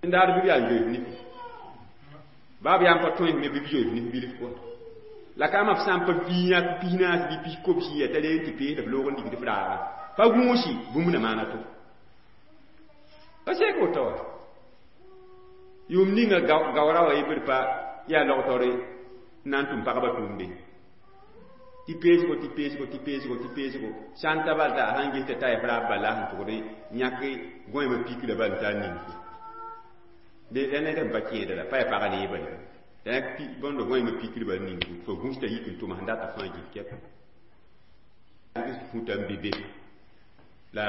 N daar bɩ b yaa n zoe f nif. Baa b yaa n pa tõe f me bɩ b zoe f nif bilf pʋgã. La ka ma f sã n pa piis pisnaas bɩ pis kobsi ya t'a reem tɩ pees la f loog n digd f raaga. Pa gũusi bũmb na maana to. Pa sek woto wa. Yʋʋm ninga gaoora wa yebd pa yaa log-taoore n na n tʋm pagba tʋʋmde. Tɩ peesgo tɩ peesgo tɩ peesgo tɩ peesgo sã n ta bal t'a sãn ges t'a ta f raab bala sẽn tʋgd yãk gõeemã pikra bal t'a ning. De ned sẽn pa kẽeda la pa yaa pag neeba ye. T'a yãk bõndo gõeemã pikr bal ning fo gũs t'a yik n tʋm sẽn data fãa gif kɛp. Futa n be be la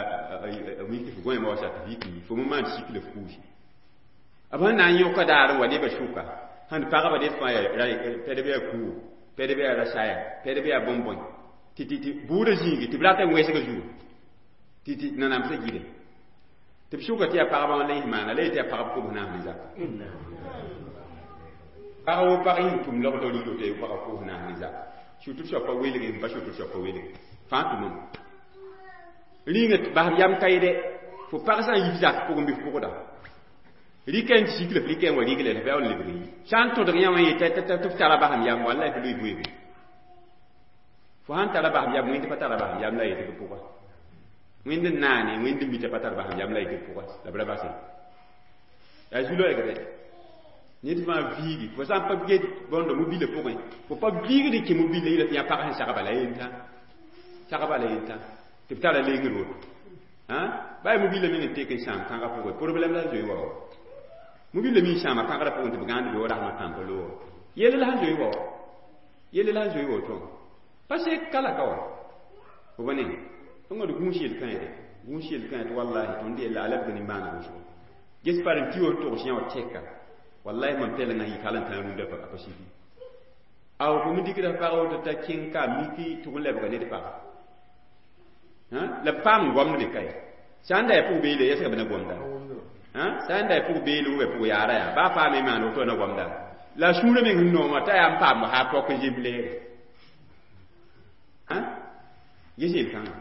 mik tɩ f gõeemã wa sa tɩ f yik n yi fo me maan sik la f kuusi. B sẽn na n yõka daar n wa nebã sʋka sẽn pagba ned fãa yaa pɛdb yaa kuo, pɛdb yaa rasaya, pɛdb yaa bõn-bõe tɩ tɩ tɩ buudã zĩigi tɩ b rat n wẽsg zuo tɩ tɩ nanamsã gɩde tɩ b sʋka tɩ yaa pagba wã la yẽ maana la yetɩ yaa pagb kobs naas ne zaka. Pag wo pag yĩng tʋm logd rido tɩ pagb kobs naas ne zaka. Surtout soab pa welge n pa surtout soab pa welge fãa tʋmame. Rĩnga basb yam ka yede fo pag sã n yif zak pʋgẽ bɩ f pʋgda. Rɩka n sik la f rɩka n wa rɩg la f yaool lebg yi. Sã n tõdg yã wã yeta tɩ f tara basem yam wallahi f lʋɩ weego. Fo sãn tara basem yam wẽnd pa tara basem yam la yetɩ b pʋga. Wẽnd n naane wẽnd n mita pa tar basem yam la yetɩ b pʋga la b ra base. Yaa zu-loɛɛgdɛ. Ned fãa viigi fo sã n pa get bõndo mobila pʋgẽ fo pa viigd n kẽ mobila yɩla tɩ yã pag sẽn sagba la yentã. Sagba la yentã tɩ b tara lengr woto. Baa yaa mobila meng n tek n sãam kãga pʋgẽ problɛm la zoe wa wa. Mobila mi n sãama kãgrã pʋgẽ tɩ b gãand be wa rasmã tãmpa loogã. Yelle la sẽn zoe wa wa. Yelle la sẽn zoe wa woto. Pa sek kala ka wa. Fo ba ne. Tõnga d gũus yel-kãe de. Gũus yel-kãe tɩ wallahi tõnd yella a lebg nimbãaneg wʋsgo. Ges par n tɩ wa togs yã wa tɛka. Wallahi mam tɛlengã yik hal n tã rũndã pa pa siki. Aw fo me dɩkda pag woto t'a kẽng ka miki tʋg n lebga ned paga. La b paam n goamd me ka ye. Sã n da yaa pʋg beele yɛsga b na gomda. Sã n da yaa pʋg beele wʋ pʋg yaara yaa baa paame maan woto na gomda. La sũurã meng sẽn nooma t'a yaa n paam haa pɔk n zemb leere. Ges yel-kãngã.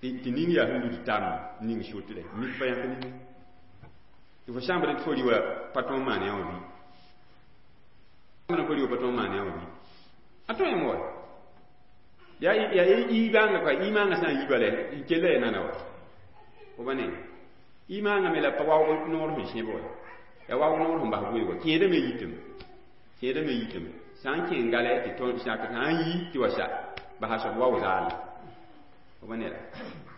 Tɩ ning yaa sẽn lud tam ning sotre mik pa yãk ning. Tɩ fo sãn tɩ fo rɩ wa pa tõog maan yã wã bɩ. Fo rɩ wa pa tõog maan yã wã bɩ. A tõe wa. Yaa iibãngã ka iimãngã sã n yi bala n kell ya nana wa. Fo ba ne. Iimãngã me la pa waoog noor sẽn sẽb wa. Ya waoog noor sẽn bas weoog wa. Kẽedã me yitame. Kẽedã me yitame. Sã n kẽng gale tɩ tõnd sãk sã n yi tɩ wa sa basa soab wao zaale. Fo ba ne la.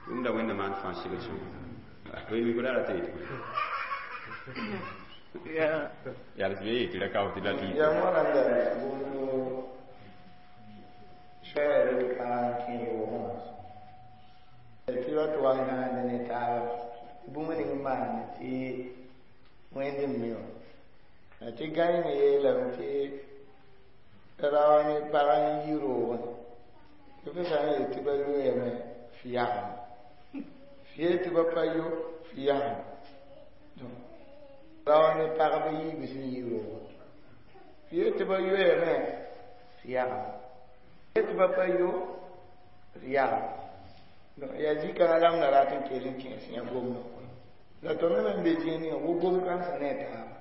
Tʋʋmda wẽnna maan fãa sɩgr sõngo. Fo mi fo ra tɩ yetɩ yaa la tɩ be yetɩ ra kao tɩ la tɩ Ya wãnda bũmb soɛɛr pag n kẽ roogẽ tɩ ra tɩ wa gãande ne taaba bũmb ning maand tɩ wẽnd n mi wã. La tɩ gãe me yeelame tɩ rao ne pag n yi roogẽ tɩ f sã n yet tɩ ba loeeme f yagem. F yeel tɩ ba pa yo f yagem. Rao ne pagb yiib sẽn yi roogẽ. F yeel tɩ ba yoeeme f yagem. F yeel tɩ ba pa yo f yagem. Yaa zĩ-kãngã rãmbda rat n kell n kẽes yã gomdã. La tõnd me n be zĩig ninga wo gom kãnsã ne a taaba.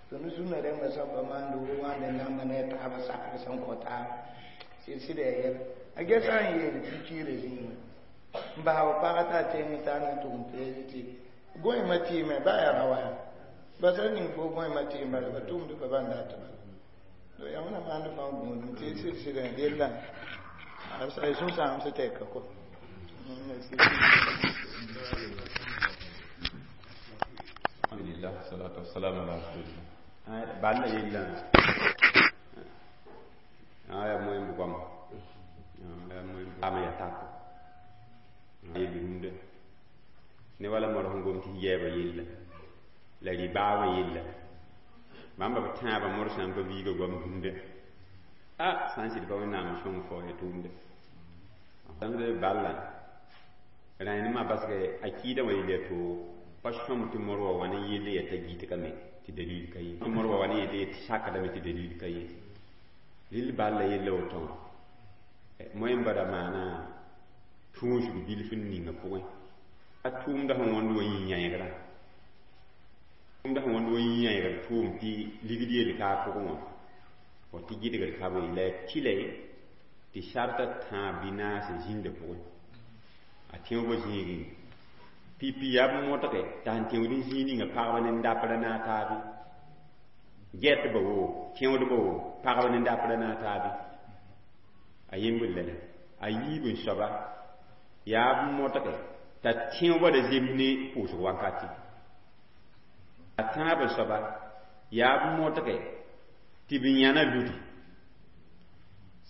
Tõnd sũnã rẽmbã sã pa maand wo wãnd n lamba ne a taaba sakr sẽn kõ taaba. Sɩd-sɩda yaa yɛla. A gesa n yeel pikiire zĩigã n bas b paga t'a teng t'a na n tʋg n peese tɩ gõeemã tɩɩme ba yaa ra wa yaa basa ning fo gõeemã tɩɩm bala ba tʋmd pa bãn dat bala to yãmb na maand fãa gũudum tɩ sɩd sɩdã yella a sũ-sãams tɛka kɔ. Alhamdulillah, salatu wassalam ala rasulillah. Balla yella aya moy bu gom aya moy ama ya tako yelli rũndã ne wala mor sẽn gom tɩ yɛɛba yella la rɩ-baabã yella bãmba b tãabã morsã n pa viiga goam rũndã a sã n sɩd pa wẽnnaam n sõng fao ya tʋʋmdã sãmd balla rãenemã basge a kɩɩdã wã yell ya toogo pa sõm tɩ mor wa wa ne yell ya t'a gɩtgame tɩ dalil ka ye mor wa wa ne yell tɩ sakdame tɩ dalil ka ye rɩl balla yella woto wã moẽmba ra maana tũusg bilf n ninga pʋgẽ a tʋʋmda sẽn wõnd wa yĩ-yãegrã tʋʋmda sẽn wõnd wa yĩ-yãegr tʋʋm tɩ ligd yel ka a pʋgẽ wã fo tɩ gɩdgr ka be la ya tɩla tɩ sarta tãab bɩ naas zĩnda pʋgẽ a tẽobã zĩigẽ pipi yaa b modge t'a sẽn tẽod n zĩig ninga pagba ne dapra na a taabe gɛtba wo tẽodba wo pagba ne dapra na a taabe a yembr lala a yiib n soaba yaa b modge t'a tẽobã ra zems ne pʋʋsg wakati a tãab n soaba yaa b modge tɩ b yãna ludi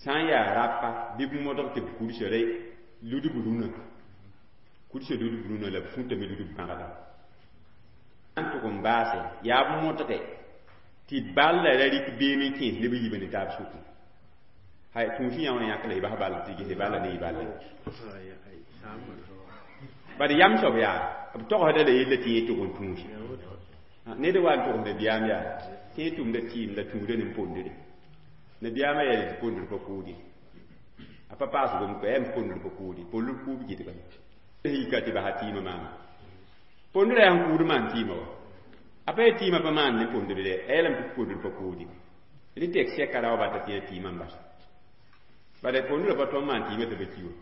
sã n yaa rapa bɩ b modg tɩ b kursa ra ludb rũnã kursa ludb rũnã la b fũtame ludb bãgda n tʋg n baase yaa b modge tɩ balla ra rɩk beem n kẽes neb yiibã ne taab sʋkẽ hay tũus yã wã yãk la y bas ball tɩ gese balla ne y balla bad yam soab yaa b togsda la yella tɩ yẽ tʋg n tũusi ned wa n togs nabiyaam yaa tɩ yẽ tʋmda tɩɩm la tũuda ne pondre nabiyaamã yaa tɩ pondr pa kʋʋde a pa paas gom ko yaa pondr pa kʋʋde pondr kʋʋb gɩdgame yika tɩ basa tɩɩmã maama pondrã yaa n kʋʋd maan tɩɩmã wa a pa yaa tɩɩmã pa maan ne pondr dɛ a yeelame tɩ pondr pa kʋʋde rẽ tek sɛka ra wa bata tɩ yã tɩɩmã n basa bala pondrã pa tõnd maan tɩɩmã tɩ ba ki wa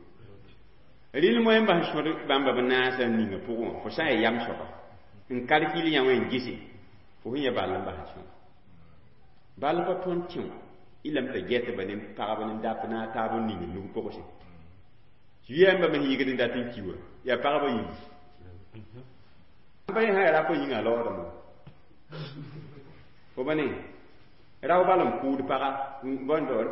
rɩl moẽmba sẽn sõd bãmba b naasã n ninga pʋgẽ wã fo sã n yaa yam soaba n kalkil yã wã n gese fo sẽn ya ball n bas n sõma ball pa tõnd tẽ wã y lame t'a gɛtba ne pagba ne dap na a taab n ning nug pʋgse yɛmba me yɩgd n dat n ki wã yaa pagba yĩngi pa yẽ sã yaa rap yĩnga a laoodame fo ba ne rao bal n kʋʋd paga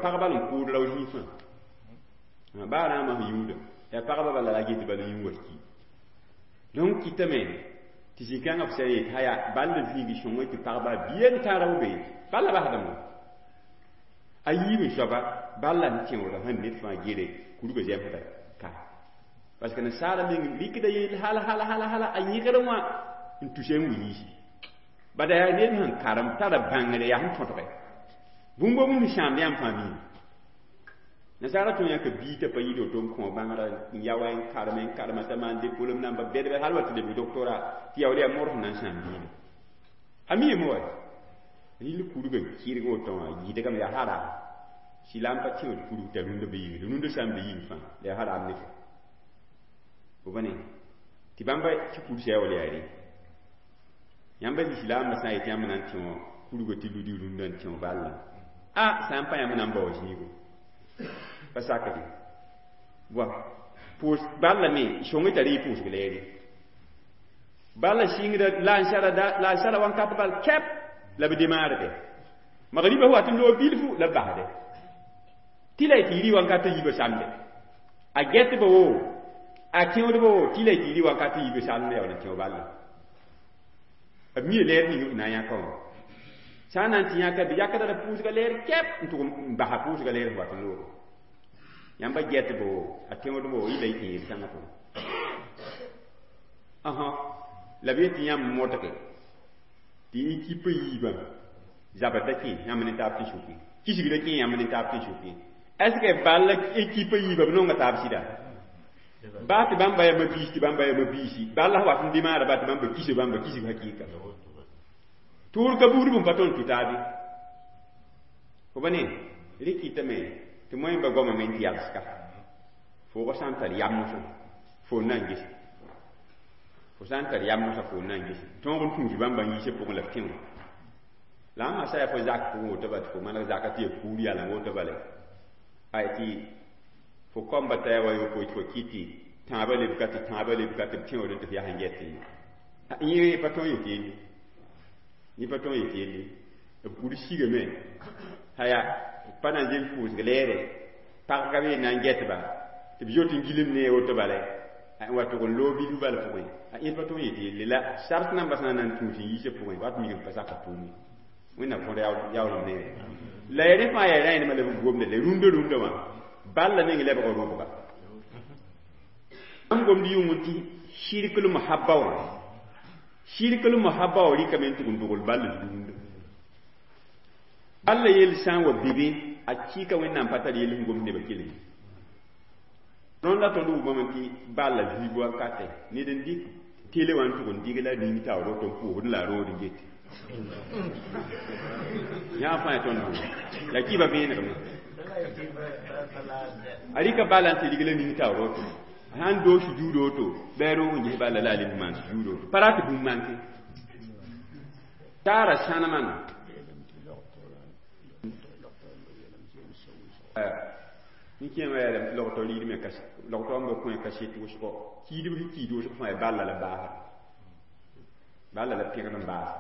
pag bal n kʋʋd rao zĩig fãa baa rãamã sẽn yũuda yaa pagba bala la get bala yũ wa ki donc kɩtame tɩ zĩ-kãngã f sã n yet haya ball zĩigi sõngẽ tɩ pagba bia n tã rao be balla basdame a yiib n soaba balla n tẽoodã sẽn ned fãa gere kurgã zɛmsda ka parce que nasaara meng rɩkda yell hal hal hal hal a yẽgr wã n tusa n wi yiisi bada yaa ned sẽn karem tara bãngre yaa sẽn tõtge bũmb bũmb sãamd yãmb fãa miime nasaara tõe yãka bii t'a pa yɩɩd woto n kõ bãngrã n ya wa n karem n karema t'a maan diplôme namba bɛdbɛ hal wa tɩ lebg doctorat tɩ yaool yaa modg sẽn na n sãam biida a miime wa rɩl kurgã kɩrg woto wã yɩdgame yaa haram silam pa tẽod kurg t'a rũndã be yĩngr rũndã sã n be yĩng fãa la yaa haram ne fo fo ba ne tɩ bãmba tɩ kursa yaa wala yaa re yãmba lislaambã sã n yetɩ yãmb na n tẽ wã kurgã tɩ ludi rũndã n tẽ balla a sã n pa yãmb na n bao zĩigo pa sakde wa pʋʋs balla me sõng t'a rɩ pʋʋsg leere balla sɩngda la n sara wãnkat bal kɛp la b demaarde magriba wat n loog bilfu la b basde tɩ la y tɩ yɩ wãnkat yiibã samde a gɛtba wo a tẽodba wo tɩ la y tɩ yɩ wãnkat yiibã samde yaool n tẽo balla b mia leer ning b na n yãka wã sã n na n tɩ yãka bɩ yakda la pʋʋsga leer kɛp n tʋg n basa pʋʋsga leer wat n loogo yãmba gɛtba wo a tẽodba wo yɩ la y tɩ yeel kãngã pʋgẽ ãhã la b yetɩ yãmb modge tɩ équipe yiibã zabr da kẽ yãmb ne taab tɩ sʋkẽ kisg da kẽ yãmb ne taab tɩ sʋkẽ est ce que ball équipe yiibã b nonga taab sɩda baa tɩ bãmba yaa mabiis tɩ bãmba yaa mabiisi ball sã wat n demaara ba tɩ bãmba kisa bãmba kisg hakɩɩka tʋʋr ka buud bũmb pa tõnd tʋ taabe fo ba ne rɩ kɩtame tɩ moẽmba goamame n tɩ yalska Fo sã n tar yam mosã, fo n na n gese. Fo sã n tar yam mosã, fo n na n gese. Tõog n tũus bãmba n yiisã pʋgẽ la f tẽ wã. La ãmba sã yaa fo zak pʋgẽ woto bala tɩ fo maneg zaka tɩ ya kuur yaleng woto bala, ay tɩ fo kamba t'a yaa wa yopoe tɩ fo kɩt tɩ tãabã lebka tɩ tãabã lebka tɩ b tẽoodẽ tɩ f yaa sẽn get yẽ pa tõe n yet yelle, yẽ pa tõe n yet yelle. B kur sigame haya pa na n zems pʋʋsg lɛɛre pagga be na n getba tɩ b zoet n gilem ne woto bala n wa tʋg n loog bilf bala pʋgẽ, a yẽ pa tõe n yet yelle. La sart namba sã n na n tũus n yiisã pʋgẽ wat migm pa saka tʋʋme. Wẽnnaam kõd yaoolem neere la ya rẽ fãa yaa rãenema la b gomda la rũndã rũndã wã balla meng lebga robga. N gomd yʋng tɩ shirkl mohabba wã, shirkl mohabba wã rɩkame n tʋg n dogl ball rũndã. Balla yell sã n wa bebe a kɩɩka Wẽnnaam pa tar yell sẽn gomd nebã kelg. Tõnd la tõnd wʋmame tɩ balla viig wakatɛ ned n dɩk tele wã n tʋg n dɩg la ning taoor woto n pʋʋsd la a rood n get yã fãa ya tõnd la kɩɩba vẽenegme a rɩka bala n tɩ rig la ning taoor woto, a sãn doog sujuud woto bɩ a roog n ges bala la a leb n maan sujuud woto pa rat bũmb manke taara sãnemã. N kẽema yaa lame tɩ logtɔ rɩɩdme logtɔ n ba kõ kaset wʋsgo kiidb sẽn kiid wʋsg fãa ya balla la baasa, balla la pẽgd n baasa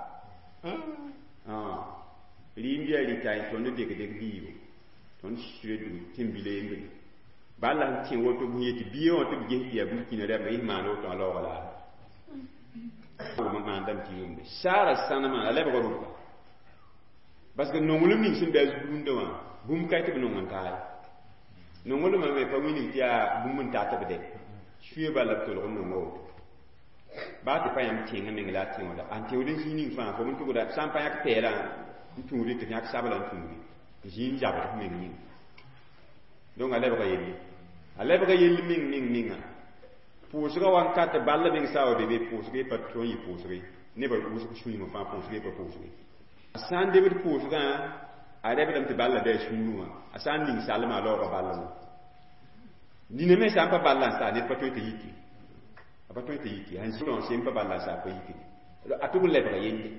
rɩɩm yaa rɩta tõnd dek-dek biigo tõnd sire dug tẽn-bila yembre balla sẽn tẽ woto bũmb yetɩ bia wã tɩ b ges tɩ yaa burkina rɛmba yis maan woto a laooga la maandame tɩ yʋmde saara sãnemã a lebga rʋka parce que nonglem ning sẽn be a rũndã wã bũmb ka tɩ b nong n taa ye nonglmã me pa wilg tɩ yaa bũmb n tat b de suye bala b tolg n nonga woto baa tɩ pa yãmb tẽngã meng la a tẽoda an tẽod n zĩig ning fãa fo n tʋgda sã n pa yãk pɛɛlã n tũudi tɩ f yãk sabla n tũudi zĩig n zabd f meng yĩnga. Donc a lebga yelle, a lebga yell meng meng menga pʋʋsgã wankat ball meng sã wa be be pʋʋsg pa tõe n yɩ pʋʋsge nebã wʋsg sũyimã fãa pʋʋsge pa pʋʋsge a sã n debd pʋʋsgã a rebdame tɩ balla bɩ a sũurẽ wã a sã n ning salmã a laooga balla wã nina me sã n pa balla n saa ned pa tõe tɩ yiki, a pa tõe tɩ yiki sãn zĩ sem pa balla n saa pa yiki a tʋg n lebga yelle,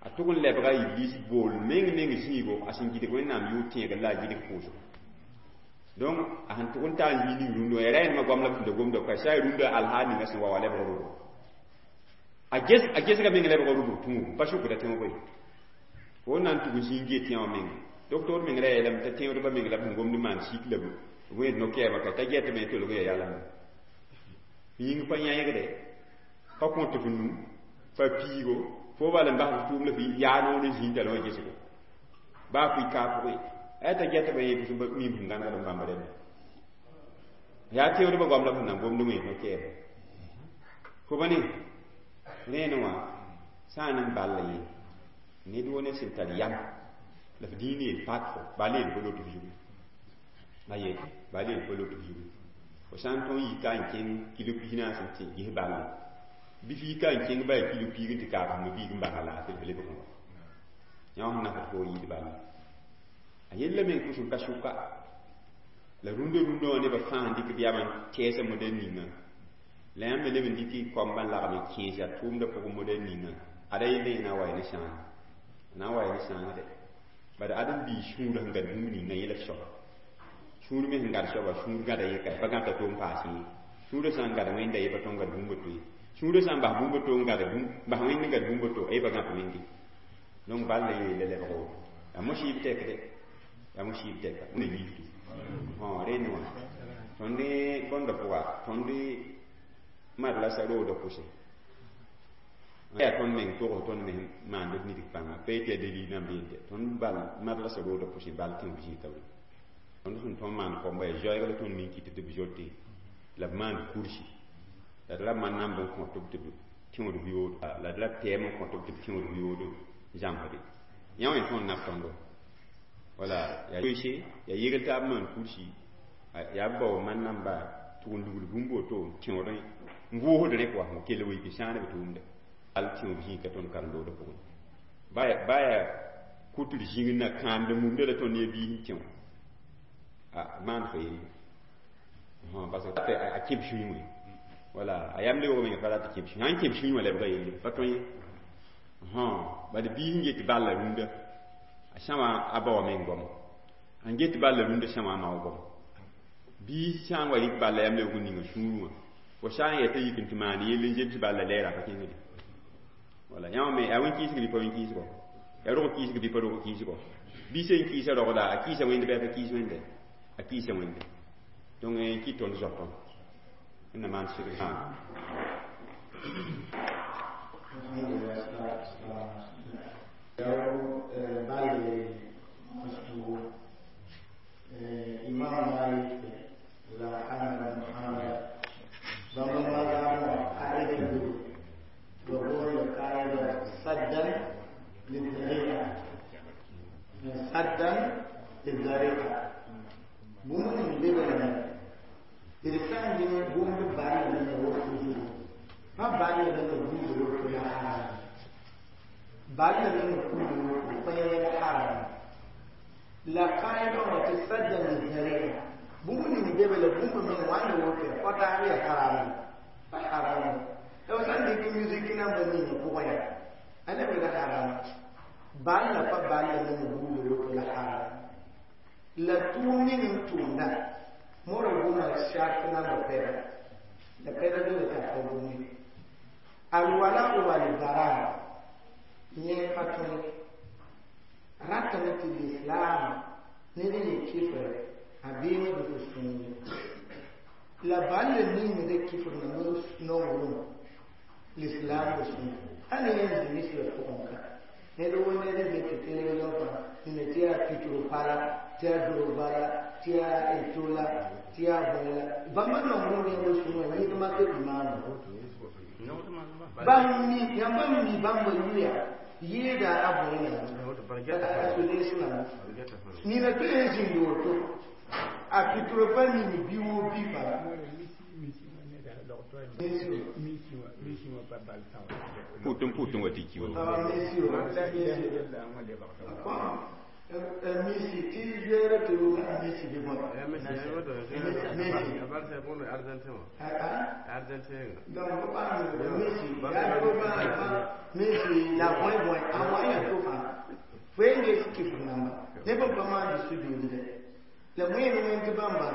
a tʋg n lebga iblis bool meng meng zĩigo a sẽn gidg Wẽnnaam yʋʋr tẽegr la a gidg pʋʋsgo. Donc a sẽn tʋg n taa n yɩ ning rũndã wã ya rẽndmã goam la b sẽn da gomda ka sã rũndã alhaal ninga sẽn wa wa lebg rʋbg a gesga meng lebg rʋbg tũugo pa sʋkda tẽogo ye fo na n tʋg n zĩig n get yã wã meng doctor meng ra yeelame t'a tẽodbã meng la b sẽn gomd maan sik la b wẽed no-kɛɛmã ka t'a getame tolg ya yalame yĩng pa yãegde pa kõt f nu pa piigo fo bal n bas f tʋʋm la f yaa noor n zĩig t'a wã gesgo baa fʋɩ kaa pʋgẽ aya t'a getba yẽ fo mim sẽn gãnegd n bãmb rẽnda yaa tẽodbã goam la b sẽn na n gomd wẽed no-kɛɛmã fo ba ne rẽene wã sã n n balla yẽ ned wo ned sẽn tar yam la f dĩin yel pak fo bal yel pa lot f zugu aye bal yel pa lot f zugu fo sã n tõe n yika n kẽng kilo pis naas n tɩ ges balle bɩ f yika n kẽng ba yaa kilo piig n tɩ kaab f biig n basa laafɩ f lebg wã yã wã sẽn nasd fo yɩɩd balle a yella meng pʋsẽ ka sʋka la rũndã rũndã wã nebã fãa n dɩk b yamã n tɛɛsã modɛl ninga la yãmb me leb n dɩk y koamba n lagem n kẽesa tʋʋmdã pʋgẽ modɛl ninga ada yella yẽ na n wa ne sãanga na n wa ne sãangde bad ãdem-biig sũurã sẽn gãd bũmb ninga yẽ la soaba sũur me sẽn gãd soaba sũur gãda yẽ ka pa gãta to n paas yẽ sũurã sã n gãd Wẽnda yẽ pa tõe n gãd bũmb to ye sũurã sã n bas bũmb to n gãd bas Wẽnd n gãd bũmb to yẽ pa gãt Wẽnde. Donc ball la yeela lebg woto yaa mosɩɩb tɛkde yaa mosɩɩb tɛka ne yiiftu rẽnd wã tõnd bõnda pʋga tõnd madrasa roodã pʋsẽ yaa tõnd meng togs tõnd me maand d nidg pãnga pa yetɩ yaa dalil namba yente tõnd bal madrasa roodã pʋsẽ bal tẽeb zĩig taoore tõnd sẽn tõnd maan koamba yaa zoɛɛg la tõnd min kɩt tɩ b zote la b maand kursi la d la man namb n kõt b tɩ b tẽod yoodo la d la tɛɛm n kõt b tɩ b tẽod yoodo zãmsde yã wã tõnd nab tõndo wala yaa yoese yaa yegl taab maan kursi yaa b bao man namba tʋg n lugl bũmb woto tẽodẽ n vʋʋsd rẽ wa kell wɩ tɩ sãan b tʋʋmda al tẽob zĩig ka tõnd karen-loodã pʋgẽ baa yaa kʋtr zĩig na kãamd mumda la tõnd ne biis n tẽ wã a maan fa yelle. Parce que a kẽb sũyẽ wala a yam lebg menga pa rat tɩ kẽb sũyẽ sãn kẽb sũyẽ wã lebga yelle pa tõe ye. Bad biis n get balla rũndã a sãma a ba wã meng goamo n get balla rũndã sãma a ma wã goamo biis sã n wa rɩk balla yam lebg n ninga sũurẽ wã fo sã n yeta yik n tɩ maan yell n zems balla lɛɛra pa kẽngde. Wala yãmb me yaa wẽn-kɩɩsg bɩ pa wẽn-kɩɩsgɔ, yaa rog kɩɩsg bɩ pa rog kɩɩsgɔ. Biis n kɩɩsa rogda, a kɩɩsa wẽnd bɩ a pa kɩɩs wẽnde, a kɩɩsa wẽnde. Donc n kɩt tõnd zoapã wẽnna maan sɩd. Imam Malik la Ahmad bin Hanbal bãmb mazhabã qaida wa huwa qaida saddan lidhari'a, saddan lidhari'a. Bũmb ning lebgame d sã n dɩ bũmb ball ne woto zugu, pa ball ne buud woto la haram, ball ne kuud woto pa yẽl haram. La qaida wã tɩ saddan lidhari'a, bũmb ning bebe la bũmb meng wãnda woto pa taab ya haram, pa haram. La f sã n dɩk musique namba ning pʋgẽ ya a lebga haram, ball la pa ball ne buud woto la haram. La tʋʋm ning n tʋʋmda mora goma shart namba pɛda la pɛda dole t'a pa gome alwala walbara yẽ pa tõe ratame tɩ l'islam ned n yẽ kɩfr a beengd fo sũure la ball ningda kɩfr na nonglem l'islam b sũur a ne yẽ zĩ misrã pʋgẽ ka ned wo ned n tɩ télévision fãa nina tɩ yaa pitro pala, tɩ yaa Drogba la, tɩ yaa Eto'o la, tɩ yaa bõe la. Bãmba nonglem yẽmb sũurã yẽdma tɩ b maana bãmb mi yãmba mi bãmba yuya yɩɩda a bõe na a solees namba nina tɩ yẽ zĩnd woto a pitro pa ning bi woo bi fãa. Pʋʋt n pʋʋt n wa tɩ ki wa. Messi tɩ zoeera tɩ Messi bɩ bõe Messi donc Messi yaa Messi la bõe bõe a wã ya to fãa fo yen ges kɩf namba ne bãmb pa maand sujuudre la wẽen wẽn tɩ bãmba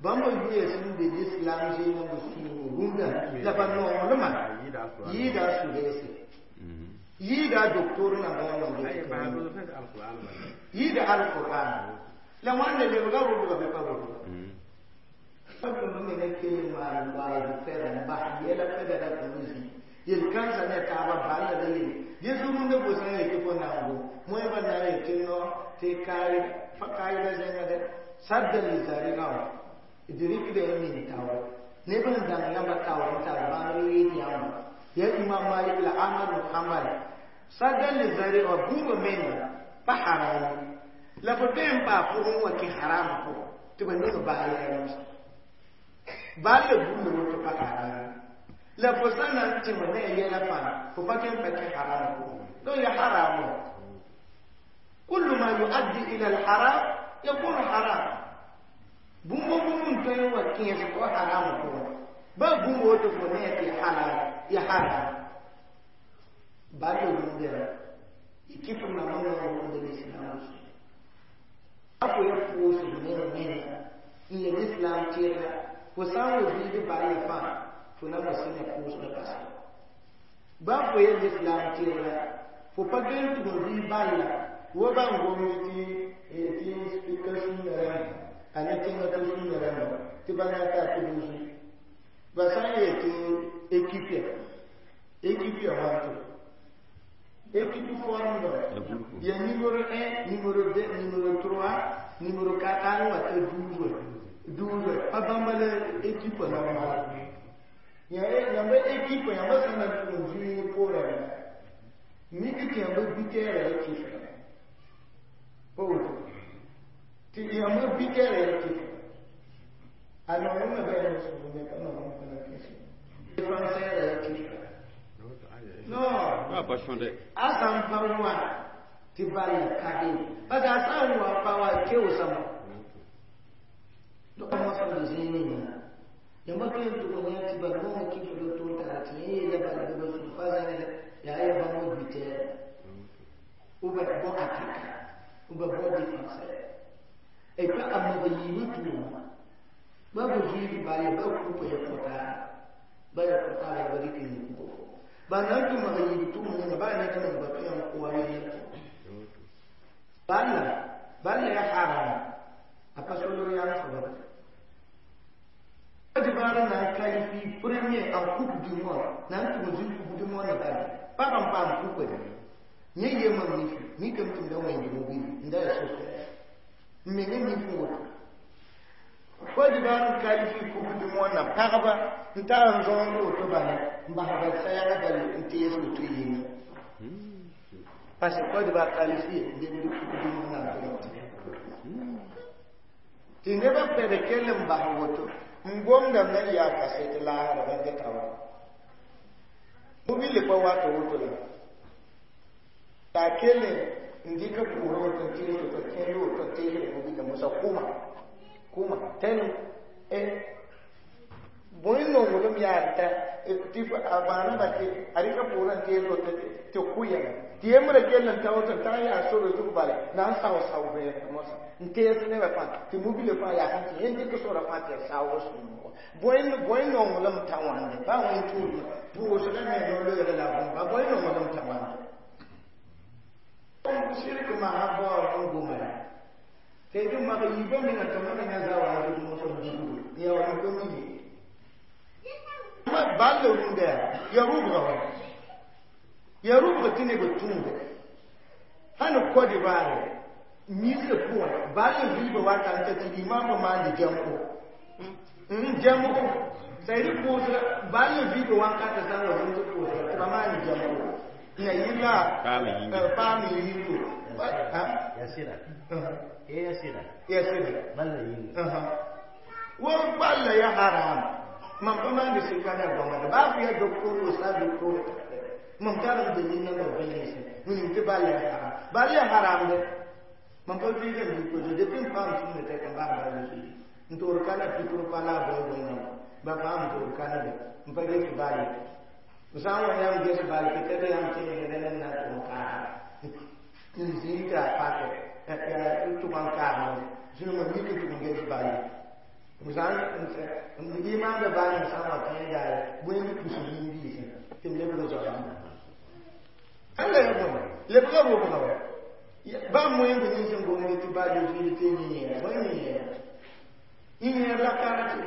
bãmba yuya sẽn be l'islam zẽenã b sũur rũndã la ba nonglmã yɩɩda a sudeese yɩɩda a doctor namba yã wãnde yɩɩda alquran la wãnda lebga rʋbga bɩ pa rʋbga b me kell n maan waasd fɛda n bas yɛla fɛda ra tɩ zĩ yel-kãensã ne taabã balla la yele yẽ rũndã fo sã n yetɩ fo nango moẽba na n yetɩ no tɩ pa kaayda zẽnga dɛ sadda lizariga wã d rɩkda y min taoor neb n dãng yãmba taoor n tar bãngr yɩɩd yãmba ya Imam Malik la Ahmad bin Hanbal sadda lizariga wã bũmba menga pa haram la fo tõe n paa pʋgẽ wã kẽ haram pʋgẽ tɩ ba neng baa yɛɛrem baa la bũmb woto pa haram la fo sã na n tẽm ne a yɛla fãa fo pa kẽ n pa kẽ haram pʋgẽ. Donc ya haram, kullu ma yuaddi ila alharam yakunu haram. Bũmb bũmb n tõe n wa kẽes fo haram pʋgẽ ba bũmb woto fo ne tɩ halal ya haram bal rũndã y kɩf namba nong rũndã l'islam a fo ya pʋʋsd ned menga n ya l'islam tɩrga fo sã n wa biig ball fãa fo na wa sẽna pʋʋsdã basa ba fo ya l'islam tɩrga fo pa gel tʋg n bɩ balla wo ban gom tɩ tɩ ka sũnga rãmba a ne tẽngã tɩ sũnga rãmba tɩ ba na ta tɩ duusu ba sã n yetɩ équipe ya équipe ya wãnto équipe forme ya numéro 1, numéro 2, numéro 3, numéro 4 al wa ta 12 12 pa bãmba la équipe normal ya yãmba équipe yãmba sã na n tʋg n zũi poorã mik tɩ yãmba bitɛɛrã ya kɩfra pa woto tɩ yãmba bitɛɛrã ya kɩfra a nonglmã bɩ a sũur ka nonglem pa na kẽse défenseur ya kɩfra non. Ah, pa sõde. A sã n pa wã tɩ ball ka be parce que a sã n wa pa wa keoosame donc mosem zĩig ninga. Yãmba tõe n tʋg n yã tɩ bal bõnga kɩf do tʋʋn tara tɩ yẽ yeela bala bɩ ba sũ pa zãned yaa ya bãmb buteur ou bien bon attaquant ou bien bon défenseur. Et puis a mag yiibã tʋʋma ba b zuiid bala ba kupa ya kota ba ya kota la ba dɩk n kupa fo ba na n tɩ mag yiib tʋʋm ninga ba ned nan ba tõe n kʋa ne balla balla ya haram a pa solg yam soaba. Côte d'Ivoire na qualifié premier en Coupe du Monde na n tʋg zĩ Coupe du Monde bala pag n paam coupe de yẽ ye mam nif mikame tɩ m da wẽnd mobil n da ya sofɛ n menga nif n woto. Côte d'Ivoire n qualifié Coupe du Monde na pagba n tar n zõond woto bala n bas bal sayaga bal n tees woto yĩnga parce que Côte d'Ivoire qualifié n lebd Coupe du Monde na n tɩ nebã pɛd kell n bas woto n gomdame na n yaa kasɛt laasra bãmb geta wa mobile pa wato woto la t'a kell n dɩk pʋʋsg woto n tees woto kẽnd woto n teesd mobile mosa kʋma kʋma tɛn bõe nonglem yaa ta tɩ a maana ba tɩ a rɩka pʋʋrã n tees woto tɩ kʋ yɛla tɩ yembra kell n ta woto n tag yaa sore zug bala na n sao sao vẽeneg mosa n tees nebã fãa tɩ mobile fãa yaa sẽn tɩ yẽnd dɩk sora fãa tɩ ya saoog sũur bõe nonglem ta wãnde ba wẽn tʋʋdmã pʋʋsga me no-loeere la bõmba bõe nonglem ta wãnde sɩrk maa baoor n goma ya tɩ d mag yiibã menga tɩ ma menga zawa a zug mosã dugdo ya wa pa mi ye ball rũndã ya rʋbga wa ya rʋbga tɩ neb tũuda sãn Côte d'Ivoire misrã pʋgẽ ball vɩɩbã wata n ta tɩ imaambã maande jãmbo jãmbo sayɩd pʋʋsga ball vɩɩbã wakatã sã n wa zĩnd pʋʋsga tɩ ba maande jãmbo na yɩla paam yĩngo. Ya sɩda ya sɩda. Ya sɩda. Balla yĩnga. Wo balla ya haram mam pa maande sɩka ne goamã baa fo ya docteur o sa docteur mam tar n dalil namba vẽense wilg tɩ balla ya haram balla ya haramde mam pa vɩɩgame bɩ depuis n paam sũnda tɛk n baam balla zoe n toor kana pɩtr pa la a bõe bõe ba paam toor kana de n pa ges balle sã n wa yãmb ges balle tɩ yãmb tẽegdẽ ne na tʋg n kaasa n zĩig tɩ a pake n tʋg n kaasẽ zũnuma mik n tʋg n ges balle n imaamda baa n sã n wa tẽedaare bõe n pus yĩn-biisẽ tɩ m lebg zoa alla ya bõe lebga robga wa ba moẽ bɩ nins n gomd tɩ baa zoe tɩ yẽ bõe yẽ yẽ la karate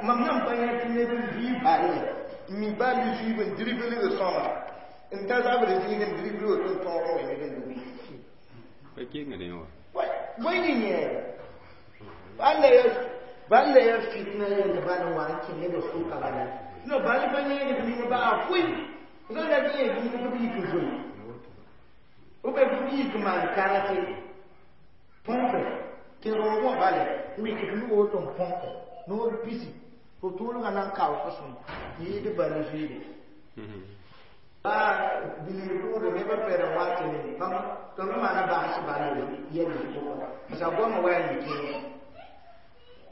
mam nan pa yã tɩ neb n vɩ balle mi balle zuiib n dribl sõma n ta zabr zĩig n dribl woto n tõog wẽnd n dugi Pa kengre wã. bõe yẽ balla ya fitna yẽnd bal n wa n kẽ neb sʋka bala no bal pa yẽed b ning ba a fʋɩ sã la yẽed ning b yik zoe b b yik maan karate põmpe tɩ roogã bale wik d woto n põmpe noor pisi fo tʋʋlgã na n kaoos sõm yɩɩd bal zuiide baa bilg tʋʋda nebã pɛd n wa tɩ bãmb tɩ b maana bags bal yɛl pʋgã parce a goamã wa yaa kẽer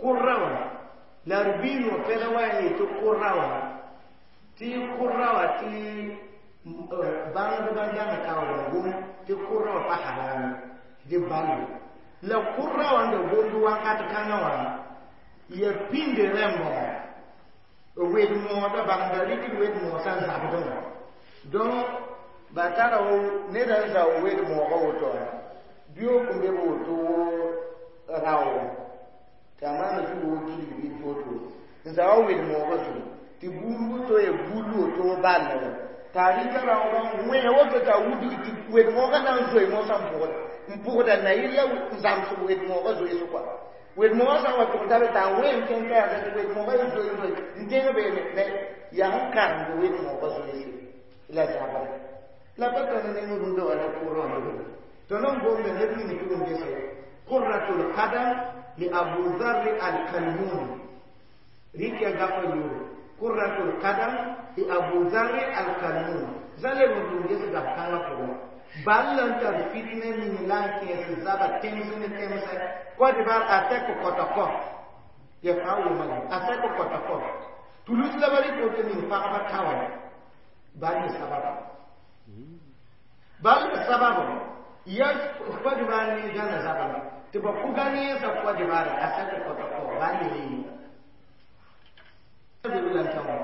kʋrra wã la d biin wã pɛda wa yaa yetɩ kʋrra wã tɩ kʋrra wã tɩ bãngdbã dãng taoor n gom tɩ kʋrra wã pa haram dɩ bal la kʋrra wã n da gomd wakat kãngã wã ya pĩnd rẽmbã wed moodã bãngda rɩkd wed moosã n zabdẽ wã donc ba tara wo ned n zao wed moogã woto wã biyook n be b woto rao tɩ a maana zug wo gilg bɩ woto n zawa wed moogã zugu tɩ buud woto ya buud woto ball wa t'a rɩka raoogã n wẽ woto t'a wudg tɩ wed moogã na n zoe moosã n pʋgda na yɩl la n zãmsg wed moogã zoees kɔa wed moogã sã n wa tʋg tabe t'a wẽ n kẽng ka yaa tɩ wed moogã y zoe zoe n tẽng beene yaa n karemd wed moogã zoeese la zabra la pa tõnd ne rũndã wã la kʋrã wã tõnd n gomda neb ning tɩ n gese qurratul qadam li Abu Dharr al-Kalmuni rɩk ya gapa yʋʋre qurratul qadam li Abu Dharr al-Kalmuni zã leb n tʋm ges gap kãngã pʋgẽ bal la n tar fitna ning la n kẽes zaba tẽms ne tẽmsɛ Côte d'Ivoire attaque Kotoko. Ya fa wo ma a sa ko ta ko tulus la bari ko te min pagba tawa ba ni sababu ba ni sababu ya ko di ba ni gana sababu te ba ku gani sa ko di ba a sa ko ta ko ba ni ni be lan tawa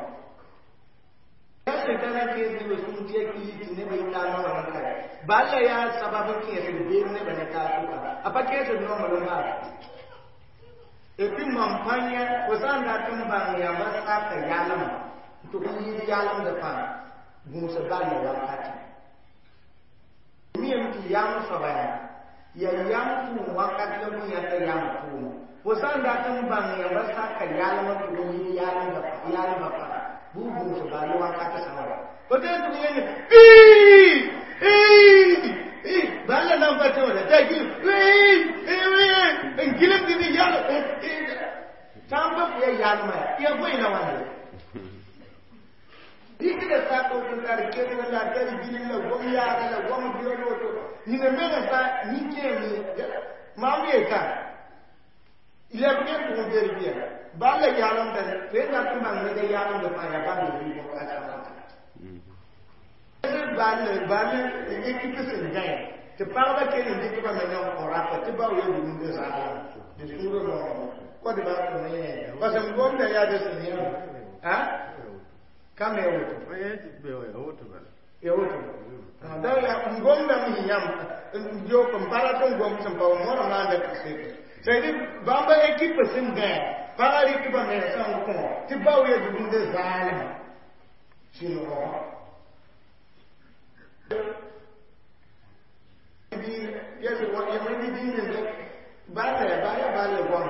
ya shekara ke bi sun je ki ti ne bai ta na wannan kai ba la ya sababu ke se be ne ba ne ta su ka apa ke se no mo ba et puis mam pãnya fo sã n dat n bãng yãmba saka yalem tɩ f yɩɩd yalemdã fãa gũusa balla wakate miyame tɩ yam soaba yaa yam tʋʋm wakat la bũn yãta yam tʋʋm fo sã n dat n bãng yãmba saka yalem tɩ f yɩɩd yalmã fãa bʋ gũusa balla wakate sã wa fo tɩ tɩ yẽne balla nan pa tẽ wala t'a gilem n gilem tɩ yal tãmba fo ya yalma ya bõe la wãnde dɩkda sak n tar kelg la tar gilem la gom yaaga la gom biol woto nina menga sa nin-kẽem maam yeta lɛbg n pʋgẽ vérifier bal la yaalemda fo dat n bãng ned a yaalemda fãa yaa bãmb rɩɩbg a sãmata bal bal équipe sẽn gãe tɩ pagba kell n dɩk ba menga n kõ rapa tɩ bao ya dugumd zaala tɩ sũurã noog kod ba tɩ me parce que gomda yaa de sẽn yã a ka me woto ya woto da ya n gomdame sẽn yãmb n yok n pa rat n gom sẽn pa wa moorã na n da seke c'est à dire bãmba équipe sẽn gãe pagã rɩk ba mensã n kõ tɩ bao ya dugumd zaalem sɩngo bala gom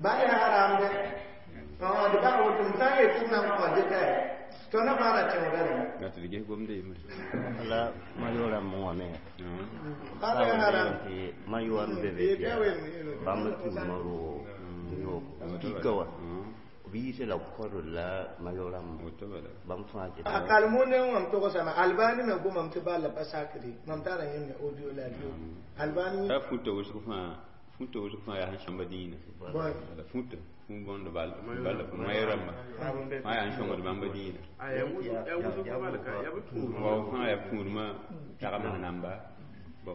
bala haram de de ba woto n sã n yet tɩ b na n kõ dɩka to na fara tẽoda re na tɩ d ges gomde yembre la mayora mo wa me bala haram tɩ mayoa n be be bãmb tʋʋmã roog yo kika wa b yiisa la kɔd la mayora woto bala bãmb fãa tɩ a kalmo ne wãm togsame albani me gomam tɩ balla pa sakre mam tara yẽmne audio la radio albani ta futa wʋsg fãa futa wʋsg fãa yaa sẽn sõmba dĩinã boy la futa fũ bõnd bal bala mayõ rãmba fãa yaa n sõngd bãmba dĩinã wa fãa yaa tũudmã tagems namba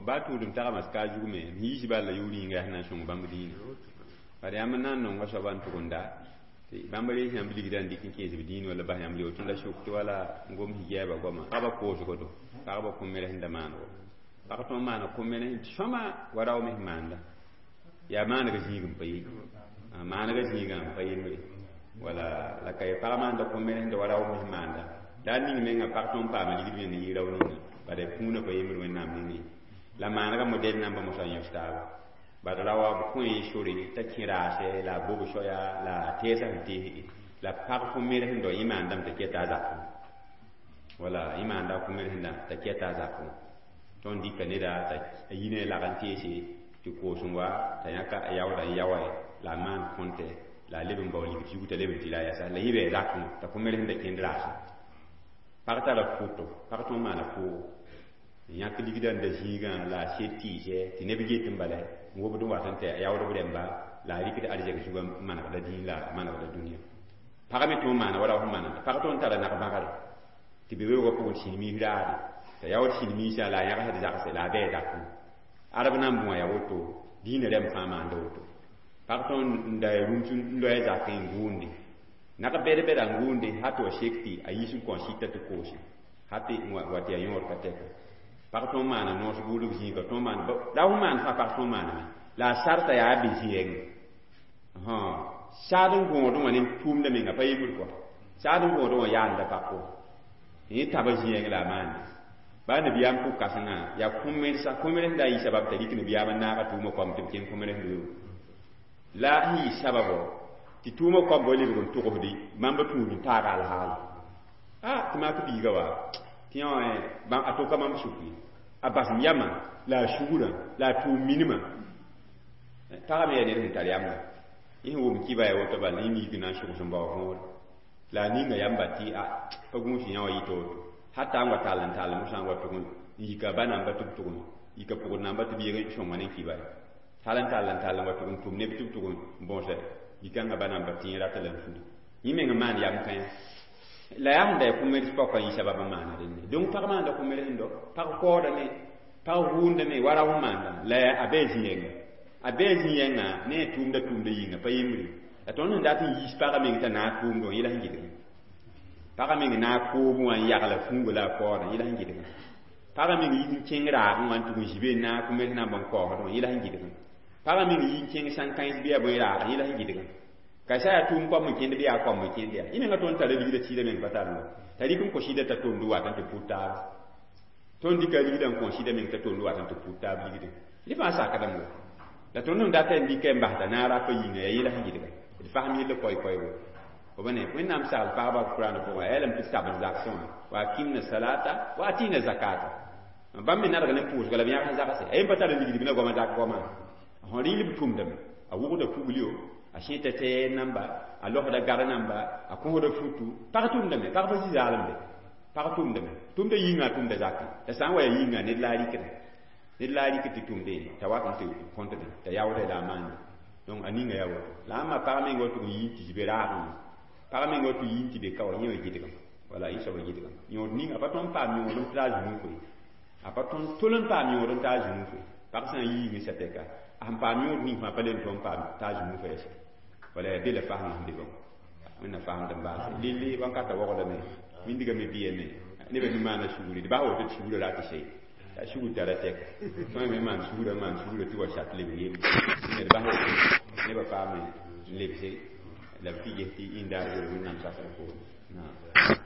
baa tũudem tagems ka zug me m yiis balla yʋʋr yĩnga yaa sẽn na n sõng bãmb dĩinã bad yãmb n na n nonga soaba n tʋgenda tɩ bãmb rees yãmb ligda n dɩk n kẽes b dĩin wala bas yãmb tɩ la sʋk tɩ wala n gom hijɛɛba goama pagba koosgo do pagba kõ-mere sẽn da maanego pag tõnd maana kõ-mere tɩ sõma wa rao me sẽn maanda yaa maanega zĩig n pa ye maanega zĩigã n pa yembre wala la ka ye pag maanda kõ-mere sẽn da wa rao me sẽn maanda la a ning menga pag tõnd paama ligd me n yɩ rao ninga bad kũunã pa yembr wẽnnaam nengẽ la maanega modɛl namba mosã n yõs taaba bad raoa b kõ sore t'a kẽ raase la a bob soaya la a teesã sẽn teesge la pag kõ-mere sẽn dao yẽ maandame t'a kɛta a zakẽ wala yẽ maanda kõ-mere sẽn t'a kɛta a zakẽ tõnd dɩka neda t'a yi ne lag n teese tɩ koos n wa t'a yãka a yaooda n yaoa la a maan kõnte la a leb n bao ligd zug t'a leb n tɩ la a yɛsa la yẽ bɩ a zakẽ t'a kõ-mere sẽn da kẽnd raasẽ pag tara pʋto pag tõnd maana pʋʋgo n yãk ligda n da zĩigã la a sed tɩɩsɛ tɩ neb get n bala n wobd n wat n tɩ a yaoodb rẽmba la a rɩkd arzɛk zugã n manegda dĩin la a manegda dũniyã pag me tõnd maana wa rao sẽn maanenda pag tõnd tara nag-bãgre tɩ be weoogã pʋgẽ sĩn-miis raade t'a yaood sĩn-miisã la a yãgsd zagse la a bɩ a zakẽ arab nan bũa yaa woto dĩinã rẽmb fãa maanda woto pag tõnd n da rũms n loa zakẽ n gʋʋnde nag bɛd-bɛda n gʋʋnde ha tɩ wa sek tɩ a yiis n kõ sɩta tɩ koose ha tɩ wa tɩ yaa yõod ka tɛka pag tõnd maana noos buudg zĩiga tõnd maan la fõ maan fãa pag tõnd maaname la a sarta yaa be zɩɛngẽ saad n gõodẽ wã ne tʋʋmda menga pa yembd kɔ saad n gõodẽ wã yaanda pag pʋgẽ yẽ taba zĩɛng la a maande baa nabiyaam pʋg kãsengã yaa kõ-mersa kõ-mer sẽn da yɩ sabab t'a rɩk nabiyaam n naaga tʋʋmã koam tɩ b kẽng kõ-mer sẽn weoog la sẽn yɩ sababɔ tɩ tʋʋmã koambã lebg n togsdi bãmba tũud n taaga alhaala a tɩ mak biiga wa tɩ yã wã a toka bãmb sʋk ye a basem yamã la a sugrã la a tʋʋm minimã pagã me yaa ned sẽn tar yamda yẽ sẽn wʋm kɩba ya woto bala yẽ miik na n sʋgs n bao võore la a ninga yamba tɩ a pa gũus yã wã yɩ woto hata n wa tall n tall mosã n wa tʋg n yika ba namba tɩ b tʋgme yika pʋgd namba tɩ b yeg sõnga ne kɩba tall n tall n tall n wa tʋg n tʋm neb tɩ b tʋg n bõose Bikãngã ba nan pa tẽeg rata la n fudi yẽ meng n maan yam kãe la yaa sẽn da ya kʋmeds paoka yẽ sabab n maana dẽnne. Donc pag maanda kʋmeds n dɔ pag kaoodame, pag vʋʋndame wa rao n maanda la a bee zĩ-yɛnga, a bee zĩ-yɛngã ne a tʋʋmda tʋʋmda yĩnga pa yembre. La tõnd sẽn dat n yiis pagã meng t'a naag tʋʋmdẽ wã, yẽla sẽn gɩdgẽ pagã meng naag koobẽ wã n yagla fuuga la a kaoodã, yẽla sẽn gɩdgẽ pagã meng yi n kẽng raagẽ wã n tʋg n zĩ be n naag kʋmeds na n bõn kaoosdẽ wã, yẽla sẽn gɩdgẽ pagã meng yi n kẽng sãn-kãens bɩ yaa bõe raagẽ, yẽla sẽn gɩdgẽ ka sã yaa tʋʋm koam n kẽnd bɩ yaa koam n kẽnd yaa yẽ menga. Tõnd tara ligda tɩɩda meng pa tar t'a rɩk n kõ sɩda t'a tʋʋmd wat n tɩ pʋt taaba. Tõnd dɩka ligda n kõ sɩda meng t'a tʋʋmd wat n tɩ pʋt taab ligdẽ. Dẽ fãa sakdame wa la tõnd sẽn data n dɩka n basda naag rapa yĩnga yaa yẽla sẽn gɩdga d fasem yella koɛɛ-koɛɛgo fo ba ne. Wẽnnaam sagl pagba Kʋraan pʋgã yaa lame tɩ tab n zagsẽ wã wa akimna salata wa atina zakata. Bãmb me nadg ne pʋʋsga la b yãgs zagse a yen pa tar ligd bɩ na goamã zak goamã sẽn rɩɩl b tʋmdame a wʋgda kugl yo, a sẽta tɛɛr namba, a losda gar namba, a kõsda futu. Pag tʋmdame, pag pa zĩ zaalemde, pag tʋmdame, tʋmda yĩnga, tʋmda zakẽ. La sã n wa yaa yĩnga ned la a rɩkda, ned la a rɩk tɩ tʋmde t'a wat n tɩ kõtde t'a yaoodã la a maande. Donc a ninga yaa woto la ãmba pag meng wa tʋg n yi n tɩ zĩ be raagẽ wã, pag meng wa tʋg yi n tɩ be ka wa yẽ wã gɩdgame wala yẽ soaba gɩdgame. Yõod ning a pa tõnd paam yõod n tɩ a zũnufo ye, a pa tõnd tol n paam yõod n t'a zũnufo ye. Pag sã n yiime satɛka a sẽn paam yõod ning fãa pa le n tõnd paam t'a zũnufo yɛsɛ wala yaa be la fasem sẽn be bãmb wẽnna fasemd n baase lilli wãnkata waoogdame mindigame bɩyame nebã mi maana sugri d bas woto tɩ sugrã rat se a sugr tara tɛka. Tõe me maan sugrã, maan sugrã tɩ wa sat leb yem d bas woto nebã paame n lebse la b tɩ ges tɩ indaar wel Wẽnnaam sakr poorẽ.